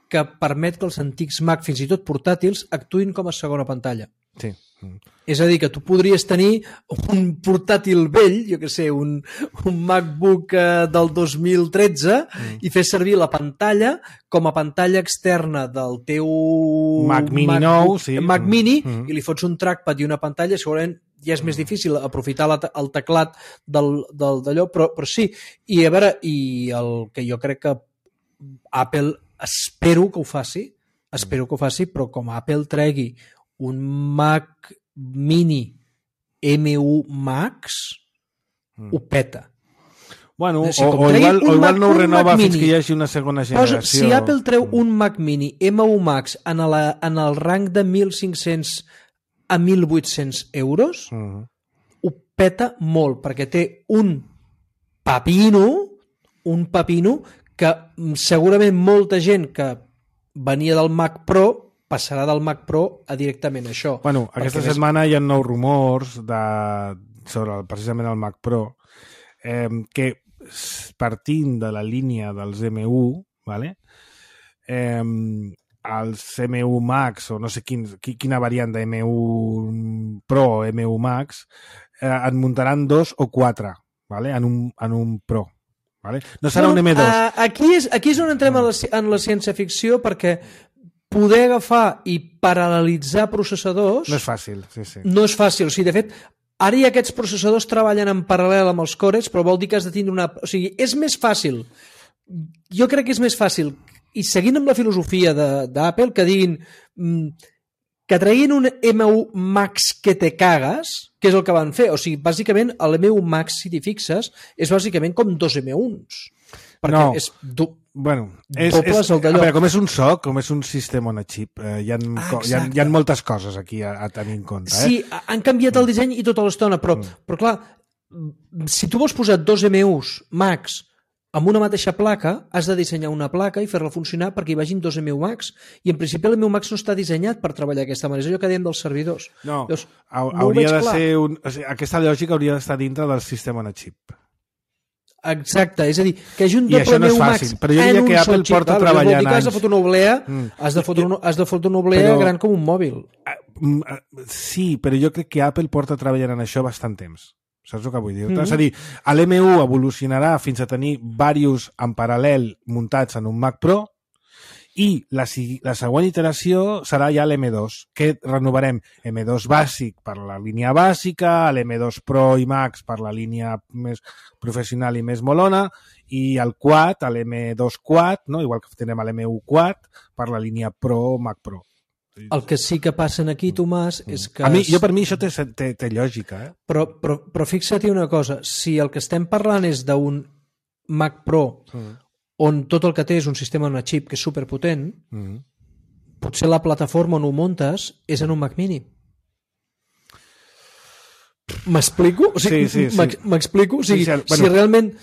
que permet que els antics Mac, fins i tot portàtils, actuïn com a segona pantalla. Sí. Mm. És a dir, que tu podries tenir un portàtil vell, jo què sé, un, un MacBook eh, del dos mil tretze mm. i fer servir la pantalla com a pantalla externa del teu Mac Mini MacBook, nou, sí. Mac Mini, mm. i li fots un trackpad i una pantalla, segurament ja és més difícil aprofitar la, el teclat del, del, d'allò, però, però sí. I a veure, i el que jo crec que Apple, espero que ho faci, espero que ho faci, però com Apple tregui un Mac Mini M u Max, mm. ho peta. Bueno, o, sigui, o, o, igual, o igual no ho renova fins Mini, que hi hagi una segona generació. Posa, si Apple treu un Mac Mini M u Max en, la, en el rang de mil cinc-cents a mil vuit-cents euros, mm. ho peta molt, perquè té un pepino, un pepino que segurament molta gent que venia del Mac Pro passarà del Mac Pro a directament això. Bueno, aquesta setmana és... hi ha nous rumors de, sobre el, precisament el Mac Pro eh, que partint de la línia dels M u, vale? eh, els M u Max o no sé quin, quina variant de M u Pro o M u Max eh, en muntaran dos o quatre, vale? en, un, en un Pro. Vale? No serà bueno, un M dos. Uh, aquí, és, aquí és on entrem en la, en la ciència-ficció, perquè poder agafar i paral·lelitzar processadors... No és fàcil, sí, sí. No és fàcil. O sigui, de fet, ara ja aquests processadors treballen en paral·lel amb els cores, però vol dir que has de tindre una... O sigui, és més fàcil. Jo crec que és més fàcil, i seguint amb la filosofia d'Apple, que diguin que treguin un M u Max que te cagues, que és el que van fer. O sigui, bàsicament, l'M u Max, si t'hi fixes, és bàsicament com dos M uns. Perquè no. és do... bueno, és, dobles és, el d'allò. A veure, com és un S O C, com és un sistema on a xip, eh, hi, ha, ah, hi, ha, hi ha moltes coses aquí a, a tenir en compte. Eh? Sí, han canviat el disseny i tota l'estona, però, mm. però clar, si tu vols posar dos M us Max amb una mateixa placa, has de dissenyar una placa i fer-la funcionar perquè hi vagin dos M u Max. I en principi l'M u Max no està dissenyat per treballar d'aquesta manera. És allò que dèiem dels servidors. No, Llavors, hauria no de clar. ser un... O sigui, aquesta lògica hauria d'estar dintre del sistema on a xip. Exacte, és a dir, que hi hagi un I això no és W Max fàcil, però jo diria que Apple porta clar, treballant anys. Has de fotre una oblea, Mm. has de fotre una, has de fotre una oblea Però- gran com un mòbil. Mm, eh, Sí, però jo crec que Apple porta treballant en això bastant temps. Saps el que vull dir? Mhm. És a dir, l'M U evolucionarà fins a tenir diversos en paral·lel muntats en un Mac Pro i la, si- la següent iteració serà ja l'M dos, que renovarem M dos bàsic per la línia bàsica, l'M dos Pro i Max per la línia més professional i més molona, i el Quad, l'M dos Quad, no? Igual que tenim l'M U Quad, per la línia Pro, Mac Pro. El que sí que passa aquí, Tomàs, és que... A mi, jo per mi això té, té, té lògica, eh? Però, però, però fixa't una cosa, si el que estem parlant és d'un Mac Pro Mm. on tot el que té és un sistema on a xip que és superpotent, Mm. potser la plataforma on ho montes és en un Mac Mini. M'explico? O sigui, Sí, sí, sí. m'ex- M'explico? O sigui, Sí, sí, si bueno. realment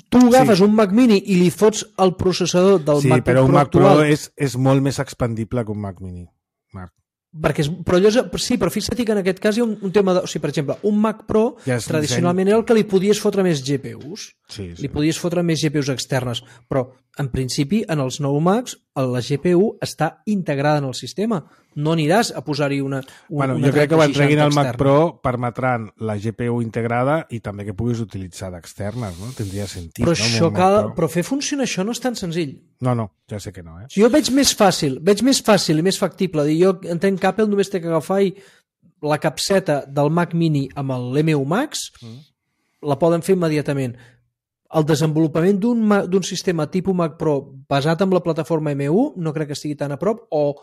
tu agafes Sí. un Mac Mini i li fots el processador del Sí, MacBook però un Pro Mac Pro actual, és, és molt més expandible que un Mac Mini, Marc. perquè és, però allò és, sí, però fixa't que en aquest cas hi ha un, un tema de, o sigui, per exemple, un Mac Pro Ja és tradicionalment era el que li podies fotre més G P Us. Sí, sí. Li podies fotre més G P Us externes, però en principi en els nou Macs la G P U està integrada en el sistema. No aniràs a posar-hi una, una Bueno, una jo crec que quan trenta treguin el seixanta Mac externa. Pro permetran la G P U integrada i també que puguis utilitzar d'externes, no? Tindria sentit, Però, no? amb això un Mac cal, Pro. però fer funcionar això no és tan senzill. No, no, ja sé que no, eh? Si jo veig més fàcil, veig més fàcil i més factible. Dir, jo entenc que Apple només té que agafar i la capseta del Mac Mini amb l'M U Max, mm. la poden fer immediatament. El desenvolupament d'un ma- d'un sistema tipus Mac Pro basat en la plataforma M U no crec que estigui tan a prop, o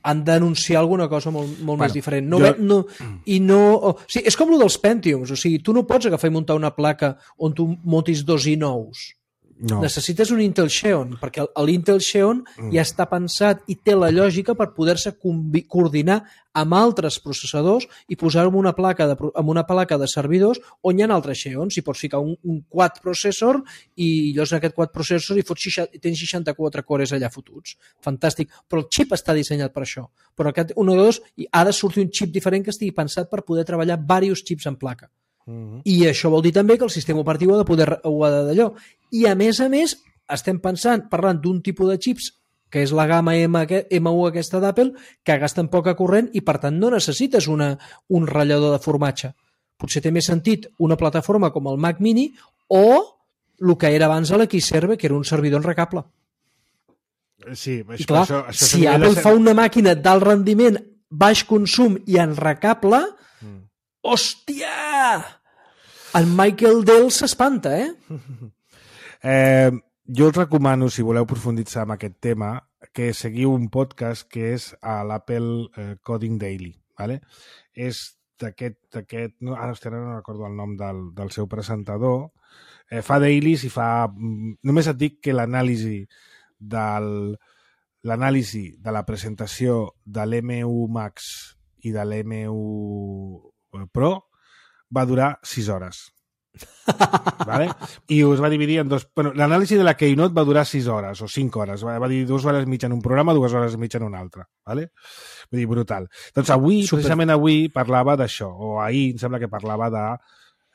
han d'anunciar alguna cosa molt, molt Bueno, més diferent. No, jo- ve, no, i no, o, sí, és com el dels Pentiums, o sigui, tu no pots agafar i muntar una placa on tu montis dos i nous. No. Necessites un Intel Xeon, perquè l'Intel Xeon mm. ja està pensat i té la lògica per poder-se combi- coordinar amb altres processadors i posar-ho en una placa de, pro- en una placa de servidors on hi ha altres Xeons. I pots ficar un, un quad processor i llavors en aquest quad processor hi fots seixanta, tens seixanta-quatre cores allà fotuts. Fantàstic. Però el xip està dissenyat per això. Però aquest un o dos i ha de sortir un xip diferent que estigui pensat per poder treballar diversos xips en placa. Mm-hmm. I això vol dir també que el sistema operatiu ha de poder ho ha de d'allò. I a més a més estem pensant, parlant d'un tipus de xips que és la gamma M, M u aquesta d'Apple, que gasten poca corrent i per tant no necessites una, un ratllador de formatge. Potser té més sentit una plataforma com el Mac Mini o el que era abans l'Xserve, que era un servidor enrecable. Sí, això, I clar, això, això si Apple de... fa una màquina d'alt rendiment, baix consum i enrecable, mm. hòstia! En Michael Dell s'espanta, eh? Eh, jo us recomano, si voleu profunditzar en aquest tema, que seguiu un podcast que és a l'Apple eh, Coding Daily. ¿vale? És d'aquest... No, ara, hòstia, no recordo el nom del, del seu presentador. Eh, fa dailies i fa... Només et dic que l'anàlisi del l'anàlisi de la presentació de l'M u Max i de l'M u Pro va durar sis hores. ¿Vale? I us va dividir en dos... Bueno, l'anàlisi de la Keynote va durar sis hores o cinc hores. Va, va dir dues hores i mitja en un programa, dues hores i mitja en un altre. ¿Vale? Vull dir, brutal. Doncs avui, Super. precisament avui, parlava d'això, o ahir em sembla que parlava de,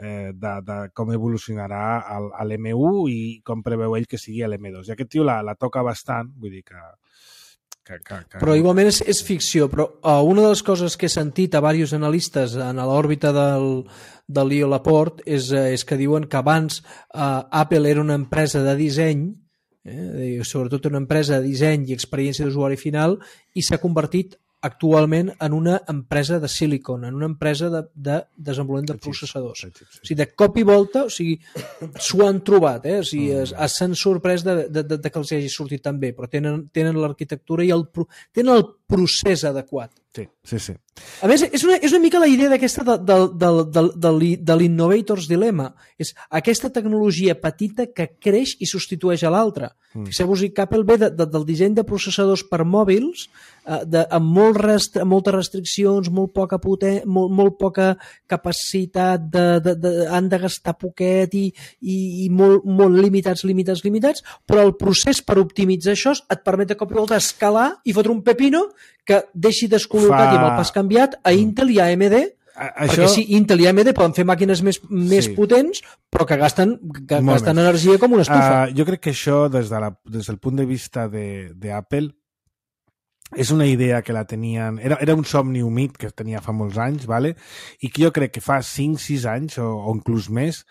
eh, de, de com evolucionarà l'M u i com preveu ell que sigui l'M dos. I aquest tio la, la toca bastant, vull dir que... Que, que, que... Però igualment és, és ficció, però uh, una de les coses que he sentit a diversos analistes en l'òrbita del, del Leo Laporte és, uh, és que diuen que abans uh, Apple era una empresa de disseny, eh, sobretot una empresa de disseny i experiència d'usuari final, i s'ha convertit actualment en una empresa de silicon, en una empresa de, de desenvolupament de processadors. Sí, sí, sí. O sigui, de cop i volta, o sigui, s'ho han trobat, eh? O sigui, es, s'han sorprès de, de, de, de que els hagi sortit tan bé, però tenen, tenen l'arquitectura i el, tenen el procés adequat. Sí, sí, sí. A més, és una, és una mica la idea d'aquesta de, de, de, de, de, de l'Innovator's Dilemma. És aquesta tecnologia petita que creix i substitueix a l'altra. Mm. Fixeu-vos que Apple ve de, de, del disseny de processadors per mòbils eh, de, amb, molt rest, amb moltes restriccions, molt poca, poten, molt, molt poca capacitat, de, de, de, han de gastar poquet i, i, i molt, molt limitats, limitats, limitats, però el procés per optimitzar això et permet de cop i volta escalar i fotre un pepino que deixi descol·locat Fa... i amb el pas canviat a Intel i a A M D Això... Perquè sí, Intel i A M D poden fer màquines més, més Sí. potents, però que gasten, que Molt gasten més. energia com una estufa. Uh, jo crec que això, des, de la, des del punt de vista de, de Apple, és una idea que la tenien... Era, era un somni humit que tenia fa molts anys, vale? I que jo crec que fa cinc sis anys, o, o inclús més,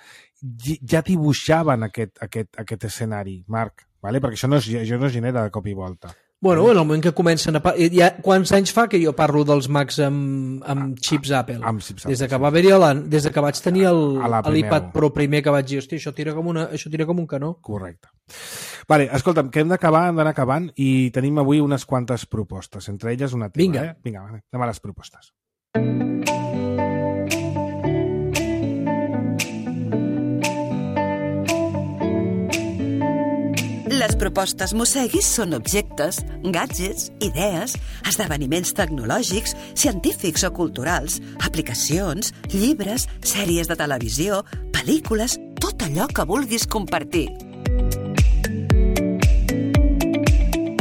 ja dibuixaven aquest, aquest, aquest escenari, Marc, vale? Perquè això no, es, això no es genera de cop i volta. Bueno, en el moment que comencen a... Ja, quants anys fa que jo parlo dels Macs amb, amb xips Apple? Amb xips Des de Apple, que va haver-hi la, des de que vaig tenir el- A la primer. l'iPad Pro primer, que vaig dir, hòstia, això tira com, una, això tira com un canó. Correcte. Vale, escolta'm, que hem d'acabar, hem d'anar acabant i tenim avui unes quantes propostes, entre elles una teva. Vinga. Eh? Vinga, va, anem a les propostes. Les propostes Mosseguis són objectes, gadgets, idees, esdeveniments tecnològics, científics o culturals, aplicacions, llibres, sèries de televisió, pel·lícules, tot allò que vulguis compartir.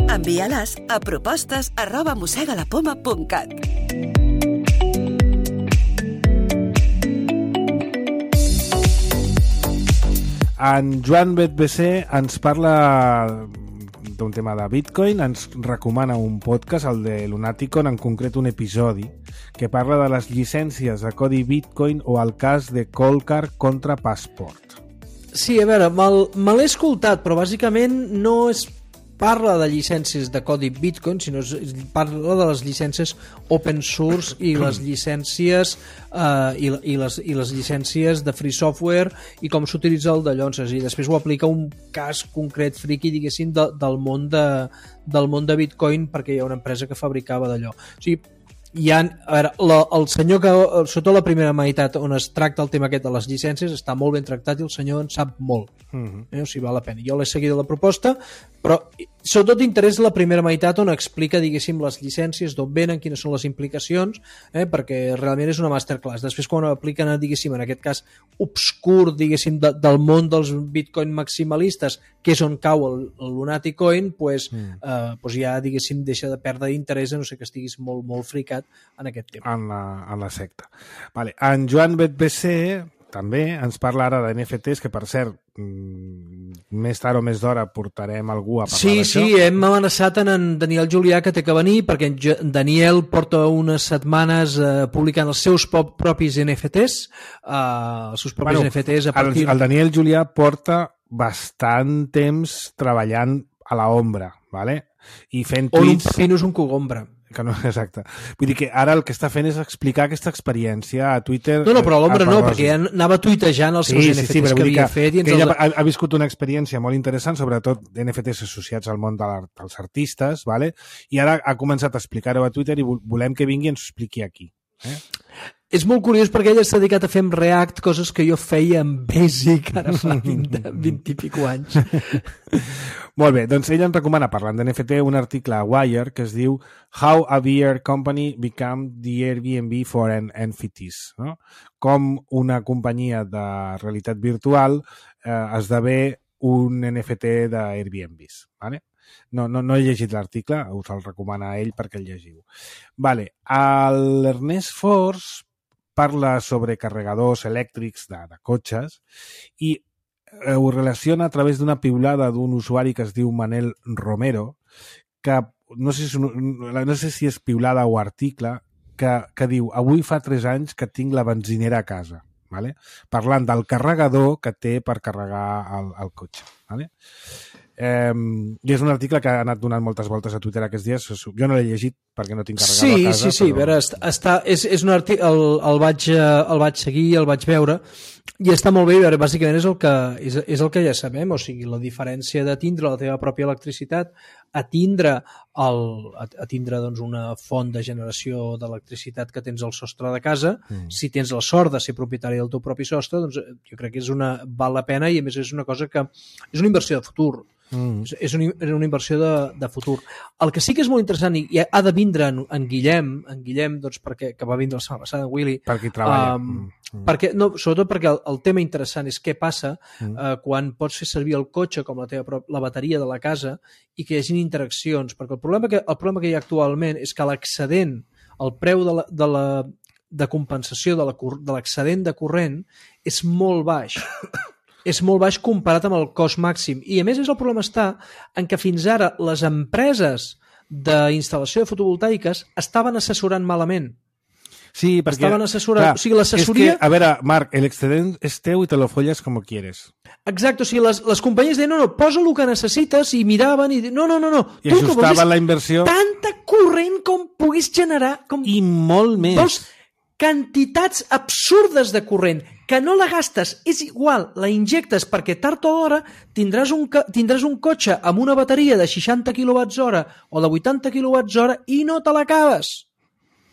Envia-les a propostes arroba mossegalapoma punt cat. En Joan Bet B C ens parla d'un tema de Bitcoin, ens recomana un podcast, el de Lunaticon, en concret un episodi, que parla de les llicències de codi Bitcoin o el cas de Coldcard contra Passport. Sí, a veure, me'l me l'he escoltat, però bàsicament no es parla de llicències de codi Bitcoin, sinó es parla de les llicències open source i les llicències eh, i, i, les, i les llicències de free software i com s'utilitza el d'allò. I després ho aplica un cas concret friki, diguéssim, de, del, món de, del món de Bitcoin, perquè hi ha una empresa que fabricava d'allò. O sigui, hi ha, a veure, la, el senyor que sota la primera meitat on es tracta el tema aquest de les llicències està molt ben tractat i el senyor en sap molt. Mm-hmm. eh? O sigui, val la pena. Jo l'he seguit la proposta, però sobretot interessa la primera meitat on explica, diguéssim, les llicències, d'on venen, quines són les implicacions, eh? perquè realment és una masterclass. Després, quan ho apliquen, diguéssim, en aquest cas obscur, diguéssim, de, del món dels bitcoin maximalistes, que és on cau el, el Lunaticoin, pues, mm. eh, pues ja, diguéssim, deixa de perdre interès, a no sé que estiguis molt, molt fricat en aquest tema. En la, en la secta. Vale. En Joan Bet B C també ens parla ara de N F Ts, que per cert, més tard o més d'hora portarem algú a parlar sí, d'això. Sí, hem amenaçat en, en Daniel Julià que té que venir, perquè en Daniel porta unes setmanes eh, publicant els seus pop, propis N F Ts, eh, els seus propis bueno, N F Ts a partir... El, el Daniel Julià porta bastant temps treballant a la ombra, ¿vale? I fent On un tuits... pepino és un cogombra. Que no, exacte. Vull dir que ara el que està fent és explicar aquesta experiència a Twitter. No, no, però a l'ombra no, Rosi. perquè ja anava tuitejant els seus sí, N F Ts sí, sí, que havia que, fet. I ens que ella els... ha, ha viscut una experiència molt interessant, sobretot N F Ts associats al món de dels artistes, ¿vale? I ara ha començat a explicar-ho a Twitter i volem que vingui i ens ho expliqui aquí. Eh? És molt curiós perquè ella s'ha dedicat a fer amb React coses que jo feia amb Basic ara fa vint, vint i pico anys. Molt bé, doncs ella ens recomana, parlant d'N F T, un article a Wire que es diu How a V R Company Became the Airbnb for an N F Ts. No? Com una companyia de realitat virtual eh, esdevé un N F T d'Airbnbs. Vale? No, no, no he llegit l'article, us el recomana a ell perquè el llegiu. Vale. L'Ernest Force parla sobre carregadors elèctrics de, de cotxes i eh, ho relaciona a través d'una piulada d'un usuari que es diu Manel Romero, que no sé si, no sé si és piulada o article, que, que diu avui fa tres anys que tinc la benzinera a casa, vale? Parlant del carregador que té per carregar el, el cotxe. Vale? Eh, I és un article que ha anat donant moltes voltes a Twitter aquests dies. Jo no l'he llegit perquè no tinc carregat sí, a casa. Sí, sí, però... veure, està, és, és un article, el, el, vaig, el vaig seguir, el vaig veure, i està molt bé, veure, bàsicament és el, que, és, és el que ja sabem, o sigui, la diferència de tindre la teva pròpia electricitat a tindre, el, a, a tindre doncs, una font de generació d'electricitat que tens al sostre de casa, mm. si tens la sort de ser propietari del teu propi sostre, doncs jo crec que és una, val la pena i a més és una cosa que és una inversió de futur. Mm. És, és, una, és una inversió de, de futur. El que sí que és molt interessant i, i ha de vindre en, en Guillem, en Guillem doncs, perquè, que va vindre la setmana passada, en Willy, per qui treballa. Um, mm. perquè, no, sobretot perquè el, el tema interessant és què passa mm. uh, quan pots fer servir el cotxe com la, teva, la bateria de la casa i que hi hagi interaccions, perquè el problema que, el problema que hi ha actualment és que l'excedent, el preu de la, de la de compensació de l'excedent de corrent és molt baix. És molt baix comparat amb el cost màxim. I a més és el problema està en que fins ara les empreses d'instal·lació de fotovoltaiques estaven assessorant malament. Sí, perquè... Estaven assessorant... Clar, o sigui, l'assessoria... Que, a veure, Marc, l'excedent és teu i te lo folles com quieres. Exacte, o sigui, les, les companyies deien, no, no, posa el que necessites, i miraven i... No, no, no, no. I tu ajustaven la inversió... Tanta corrent com puguis generar... Com... I molt més. Vols quantitats absurdes de corrent que no la gastes, és igual, la injectes perquè tard o d'hora tindràs un, tindràs un cotxe amb una bateria de seixanta quilowatts hora o de vuitanta quilowatts hora i no te l'acabes.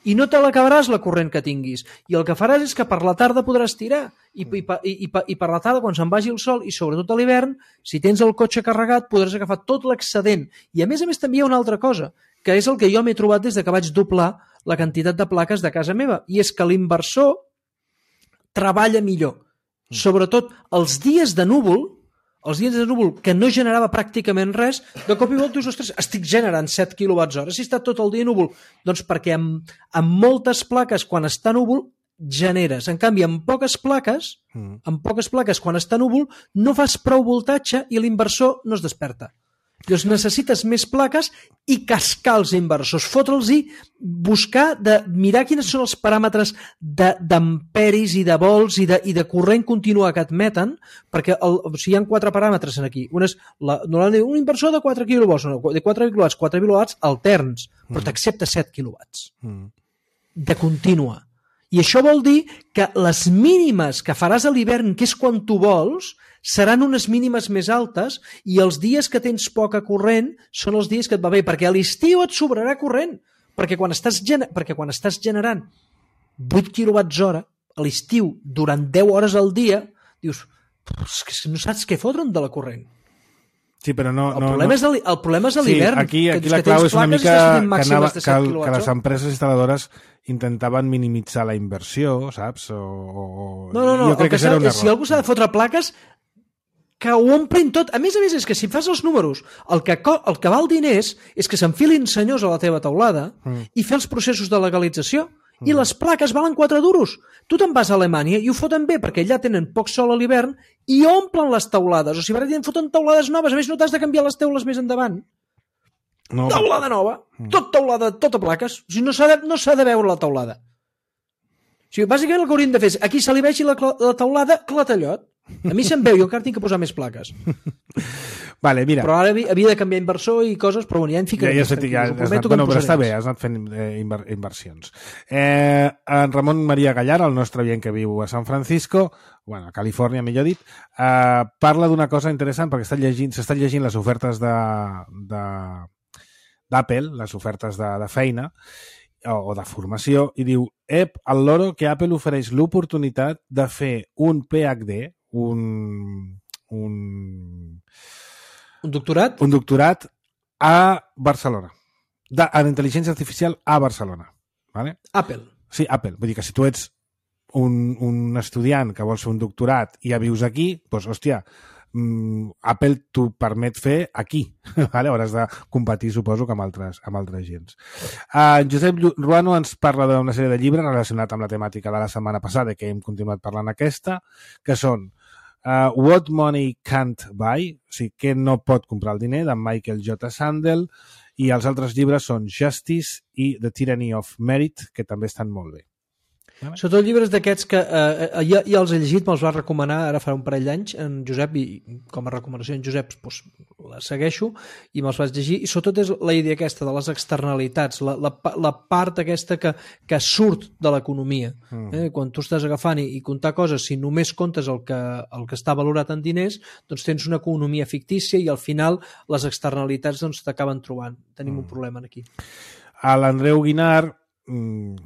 I no te l'acabaràs la corrent que tinguis. I el que faràs és que per la tarda podràs tirar. I, i, i, i, i per la tarda, quan se'n vagi el sol, i sobretot a l'hivern, si tens el cotxe carregat, podràs agafar tot l'excedent. I a més a més també hi ha una altra cosa, que és el que jo m'he trobat des de que vaig doblar la quantitat de plaques de casa meva. I és que l'inversor treballa millor. Sobretot els dies de núvol, els dies de núvol que no generava pràcticament res, de cop i volta dius, ostres, estic generant set quilowatts hora. Si està tot el dia núvol, doncs perquè amb, amb moltes plaques, quan està núvol, generes. En canvi, amb poques plaques, mm. amb poques plaques, quan està núvol, no fas prou voltatge i l'inversor no es desperta. Llavors necessites més plaques i cascar els inversors, fotre'ls-hi, buscar, de, mirar quins són els paràmetres d'amperis i de volts i de, i de corrent continu que admeten, perquè el, o sigui, hi ha quatre paràmetres aquí. Un és la, normalment un inversor de quatre quilowatts, no, de quatre quilowatts, quatre quilowatts alterns, però mm. t'accepta set quilowatts mm. de contínua. I això vol dir que les mínimes que faràs a l'hivern, que és quan tu vols, seran unes mínimes més altes i els dies que tens poca corrent són els dies que et va bé, perquè a l'estiu et sobrarà corrent, perquè quan estàs, gener... perquè quan estàs generant vuit quilowatts hora a l'estiu durant deu hores al dia, dius, no saps què fotre'n de la corrent. Sí, però no... El no, problema, no. És, el, el problema és a l'hivern. Sí, aquí, aquí que, la que clau és una mica que, anava, que, el, que les empreses instal·ladores intentaven minimitzar la inversió, saps? O, o... No, no, no. Jo crec que, que serà un error. Si algú s'ha de fotre plaques, que ho omplin tot. A més a més, és que si fas els números, el que, el que val diners és que s'enfilin senyors a la teva teulada mm. i fer els processos de legalització. I les plaques valen quatre duros. Tu te'n vas a Alemanya i ho foten bé perquè allà tenen poc sol a l'hivern i omplen les teulades. O sigui, ara foten teulades noves. A més, no t'has de canviar les teules més endavant. No. Teulada nova. Mm. Tot teulada, tot a plaques. O sigui, no s'ha de, no s'ha de veure la teulada. O sigui, bàsicament el que hauríem de fer és aquí se li vegi la, la teulada clatellot. A mi se'n veu, jo encara tinc que posar més plaques. Vale, mira. Però ara havia de canviar inversor i coses, però bueno, ja en ficaré. Ja, ja, ja, ja, anat, bueno, però està bé, has anat fent eh, inver, inversions. Eh, en Ramon Maria Gallar, el nostre oient que viu a San Francisco, bueno, a Califòrnia, millor dit, eh, parla d'una cosa interessant perquè s'estan llegint, s'estan llegint les ofertes de, de, d'Apple, les ofertes de, de feina, o, o de formació, i diu, ep, al loro que Apple ofereix l'oportunitat de fer un P H D, un... un Un doctorat? Un doctorat a Barcelona. De, en intel·ligència artificial a Barcelona. Vale? Apple. Sí, Apple. Vull dir que si tu ets un, un estudiant que vols fer un doctorat i ja vius aquí, doncs, hòstia, mm, Apple t'ho permet fer aquí. Vale? Hauràs de competir, suposo, que amb altres, amb altres gens. Uh, Josep Ruano ens parla d'una sèrie de llibres relacionats amb la temàtica de la setmana passada, que hem continuat parlant aquesta, que són Uh, What Money Can't Buy, o sigui, què no pot comprar el diner, de Michael J. Sandel, i els altres llibres són Justice i The Tyranny of Merit, que també estan molt bé. Vale. Sobretot llibres d'aquests que eh, ja, ja els he llegit, me'ls va recomanar ara fa un parell d'anys en Josep, i com a recomanació en Josep doncs, la segueixo i me'ls vaig llegir, i sobretot és la idea aquesta de les externalitats, la, la, la part aquesta que, que surt de l'economia. Mm. Eh? Quan tu estàs agafant i, i comptar coses, si només comptes el que, el que està valorat en diners, doncs tens una economia fictícia i al final les externalitats doncs, t'acaben trobant. Tenim mm. un problema aquí. A l'Andreu Guinart,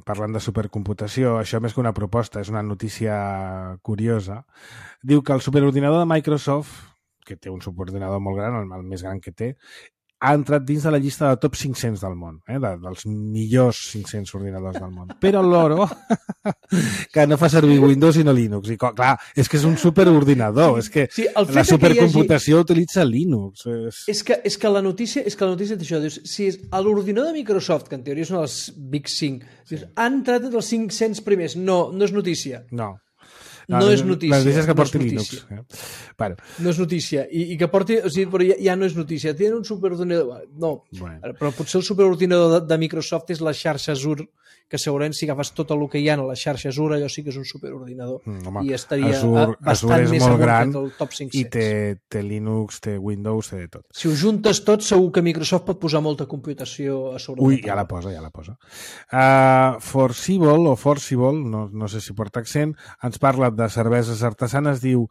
parlant de supercomputació, això més que una proposta, és una notícia curiosa, diu que el superordinador de Microsoft, que té un superordinador molt gran, el més gran que té, ha entrat dins de la llista de top cinc-cents del món, eh? de, dels millors cinc-cents ordinadors del món. Però el loro, que no fa servir Windows sinó Linux. I clar, és que és un superordinador, és que sí, la supercomputació hagi... utilitza Linux. És... És, que, és que la notícia és que la notícia d'això, dius, si és l'ordinador de Microsoft, que en teoria és un dels Big cinc, dius, sí. han entrat entre els cinc-cents primers. No, no és notícia. No. No, no és notícia. La notícia és que porti no Linux. Eh? Bueno. No és notícia. I, i que porti... O sigui, però ja, ja no és notícia. Tenen un superordinador... No, bueno. Però potser el superordinador de, de Microsoft és la xarxa Azure, que segurament si agafes tot el que hi ha a la xarxa Azure, allò sí que és un superordinador. Mm, home, i estaria Azure, bastant Azure és més molt gran del top cinc-cents. I té, té Linux, té Windows, té de tot. Si ho juntes tot, segur que Microsoft pot posar molta computació a sobre. Ui, ja la posa, ja la posa. Uh, Forcible, o Forcible, no, no sé si porta accent, ens parla de cerveses artesanes, diu: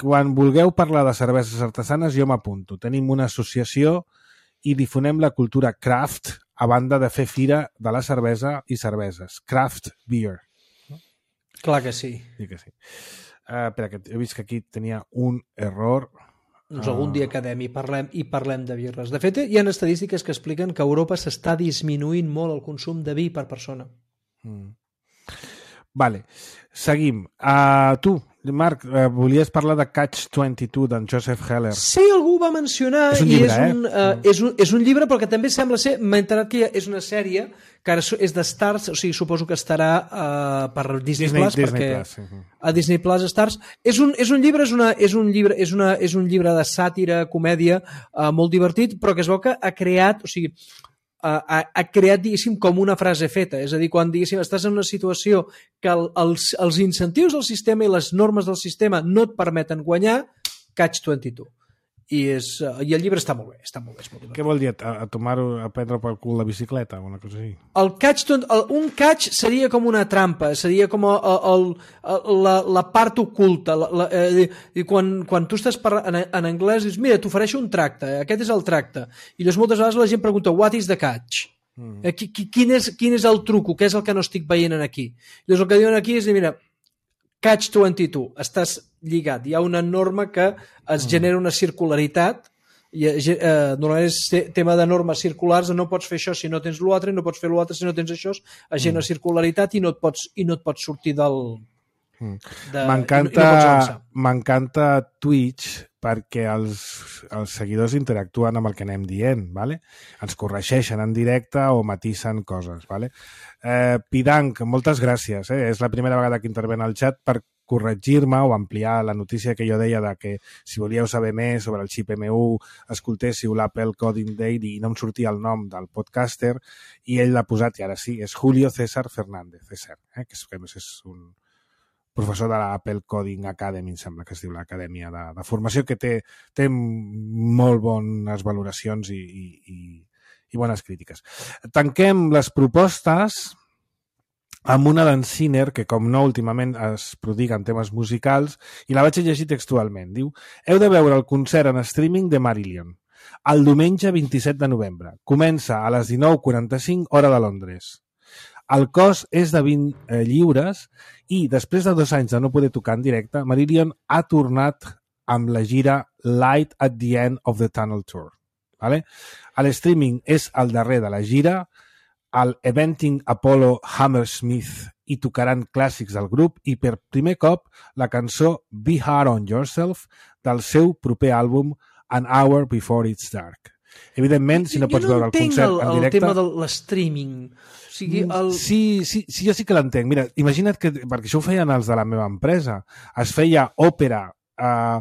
quan vulgueu parlar de cerveses artesanes jo m'apunto. Tenim una associació i difonem la cultura craft a banda de fer fira de la cervesa i cerveses. Craft beer. Clar que sí. Sí que sí. Uh, espera, que he vist que aquí tenia un error. Doncs algun dia quedem i parlem, i parlem de birres. De fet, hi ha estadístiques que expliquen que a Europa s'està disminuint molt el consum de vi per persona. Mm. Vale, seguim. Uh, tu, Marc, uh, volies parlar de Catch vint-i-dos d'en Joseph Heller. Sí, algú ho va mencionar. És un llibre, i és un, eh? Uh, és, un, és un llibre, però que també sembla ser... M'he enterat que és una sèrie que ara és de Stars, o sigui, suposo que estarà uh, per Disney, Disney Plus, Disney perquè Plus, sí. a Disney Plus Stars. És un, és un llibre, és, una, és, un llibre és, una, és un llibre de sàtira, comèdia, uh, molt divertit, però que es veu que ha creat... O sigui, ha, ha creat, diguéssim, com una frase feta. És a dir, quan, diguéssim, estàs en una situació que el, els, els incentius del sistema i les normes del sistema no et permeten guanyar, Catch vint-i-dos. I, és, uh, I el llibre està molt bé. Està molt bé, és molt divertit. Què vol dir? A, a tomar-ho, a prendre pel cul la bicicleta o una cosa així? El catch, el, un catch seria com una trampa, seria com el, el, el, la, la part oculta. La, la, eh, i quan, quan tu estàs parlant en, en anglès, dius, mira, t'ofereixo un tracte, aquest és el tracte. I llavors moltes vegades la gent pregunta, what is the catch? Mm. Eh, qui, quin, és, quin és el truco? Què és el que no estic veient aquí? I llavors el que diuen aquí és, mira, Catch vint-i-dos, estàs lligat. Hi ha una norma que es genera una circularitat, i eh, normalment és tema de normes circulars, no pots fer això si no tens l'altre, no pots fer l'altre si no tens això, es genera mm. circularitat i no et pots, i no et pots sortir del... Mm. De, m'encanta, no m'encanta Twitch perquè els, els seguidors interactuen amb el que anem dient, vale? Ens corregeixen en directe o matisen coses. Vale? Eh, Pidanc, moltes gràcies. Eh? És la primera vegada que interven al xat per corregir-me o ampliar la notícia que jo deia de que si volíeu saber més sobre el xip M U escoltéssiu l'Apple Coding Day i no em sortia el nom del podcaster i ell l'ha posat, i ara sí, és Julio César Fernández, César, eh? que és, que és un professor de l'Apple Coding Academy, em sembla que es diu l'acadèmia de, de formació, que té, té molt bones valoracions i, i, i, i bones crítiques. Tanquem les propostes amb una d'en Sinner, que com no últimament es prodiga en temes musicals, i la vaig llegir textualment. Diu: heu de veure el concert en streaming de Marillion el diumenge vint-i-set de novembre. Comença a les dinou quaranta-cinc, hora de Londres. El cost és de vint eh, lliures i després de dos anys de no poder tocar en directe, Marillion ha tornat amb la gira Light at the End of the Tunnel Tour. Vale? L'streaming és el darrer de la gira, al Eventing Apollo Hammersmith i tocaran clàssics del grup i per primer cop la cançó Be Hard on Yourself del seu proper àlbum An Hour Before It's Dark. Evidentment, si no pots no veure el concert el, en directe... el tema de l'streaming. O sigui, el... sí, sí, sí, jo sí que l'entenc. Mira, imagina't que, perquè això ho feien els de la meva empresa, es feia òpera, eh,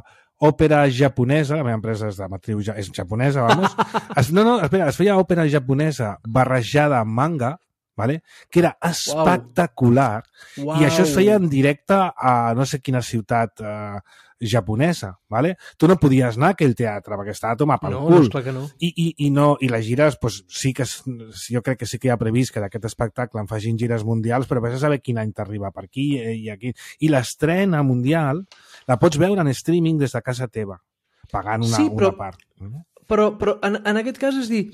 òpera japonesa, la meva empresa és de matriu, és japonesa, vamos. Es, no, no, espera, es feia òpera japonesa barrejada amb manga, vale? Que era espectacular, wow. I això es feia en directe a no sé quina ciutat eh, japonesa, vale? Tu no podies anar a aquell teatre perquè estava a tomar pel no, cul. No, esclar que no. I, i, i, no, i les gires, pues, sí que jo crec que sí que hi ha previst que d'aquest espectacle en facin gires mundials, però vés a saber quin any t'arriba per aquí i aquí. I l'estrena mundial la pots veure en streaming des de casa teva, pagant una, sí, però, una part. Però, però en, en aquest cas és dir,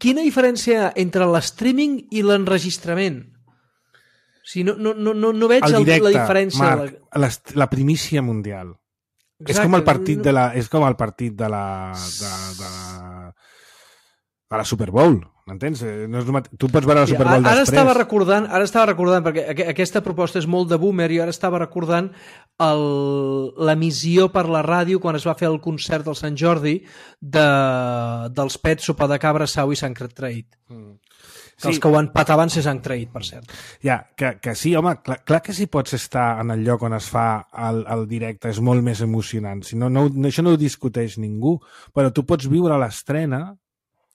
quina diferència hi ha entre l'streaming i l'enregistrament? O sigui, no, no, no, no veig el directe, la diferència. Marc, la, la primícia mundial. Exacte. És com el partit de la, és com el partit de la, de, de la a la Super Bowl, m'entens? No és mate... Tu pots veure la Super Bowl ara, ara després. Estava recordant, ara estava recordant, perquè aquesta proposta és molt de boomer, i ara estava recordant el... l'emissió per la ràdio quan es va fer el concert del Sant Jordi de... dels Pets, Sopa de Cabra, Sau i Sant Trade. Mm. Que sí. Els que ho empataven se s'han traït, per cert. Ja, que, que sí, home, clar, clar que si pots estar en el lloc on es fa el, el directe és molt més emocionant. Si no, no, això no ho discuteix ningú, però tu pots viure l'estrena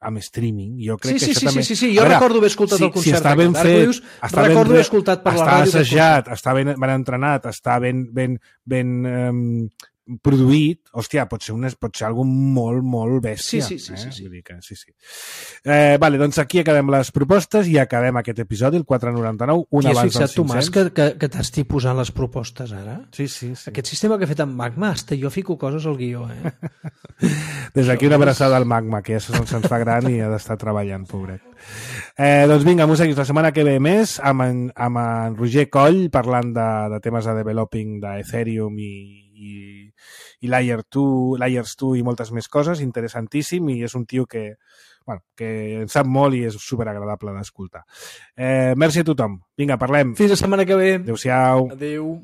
amb streaming. Jo crec sí, que sí, això sí, també... sí, sí, jo veure, recordo haver escoltat si, el concert. Si està ben fet, dius, està recordo ben, haver escoltat per la ràdio. Està assajat, està ben, ben entrenat, està ben, ben, ben um, produït, hòstia, pot ser, una, pot ser algo molt, molt bèstia. Sí, sí, sí. Eh? sí, sí. Vull dir que, sí, sí. Eh, vale, doncs aquí acabem les propostes i acabem aquest episodi, el quatre noranta-nou, un abans del cinc-cents. Tomàs, que, que, que t'estic posant les propostes ara? Sí, sí, sí. Aquest sistema que he fet amb Magma, hasta jo fico coses al guió, eh? Des d'aquí una abraçada al Magma, que ja se'ns fa gran i ha d'estar treballant, pobret. Eh, doncs vinga, músics, la setmana que ve més amb en, amb en Roger Coll parlant de, de temes de developing d'Ethereum i, i, i Layer dos, Layers dos i moltes més coses, interessantíssim, i és un tio que, bueno, que en sap molt i és superagradable d'escoltar. Eh, merci a tothom. Vinga, parlem. Fins la setmana que ve. Adéu-siau. Adéu.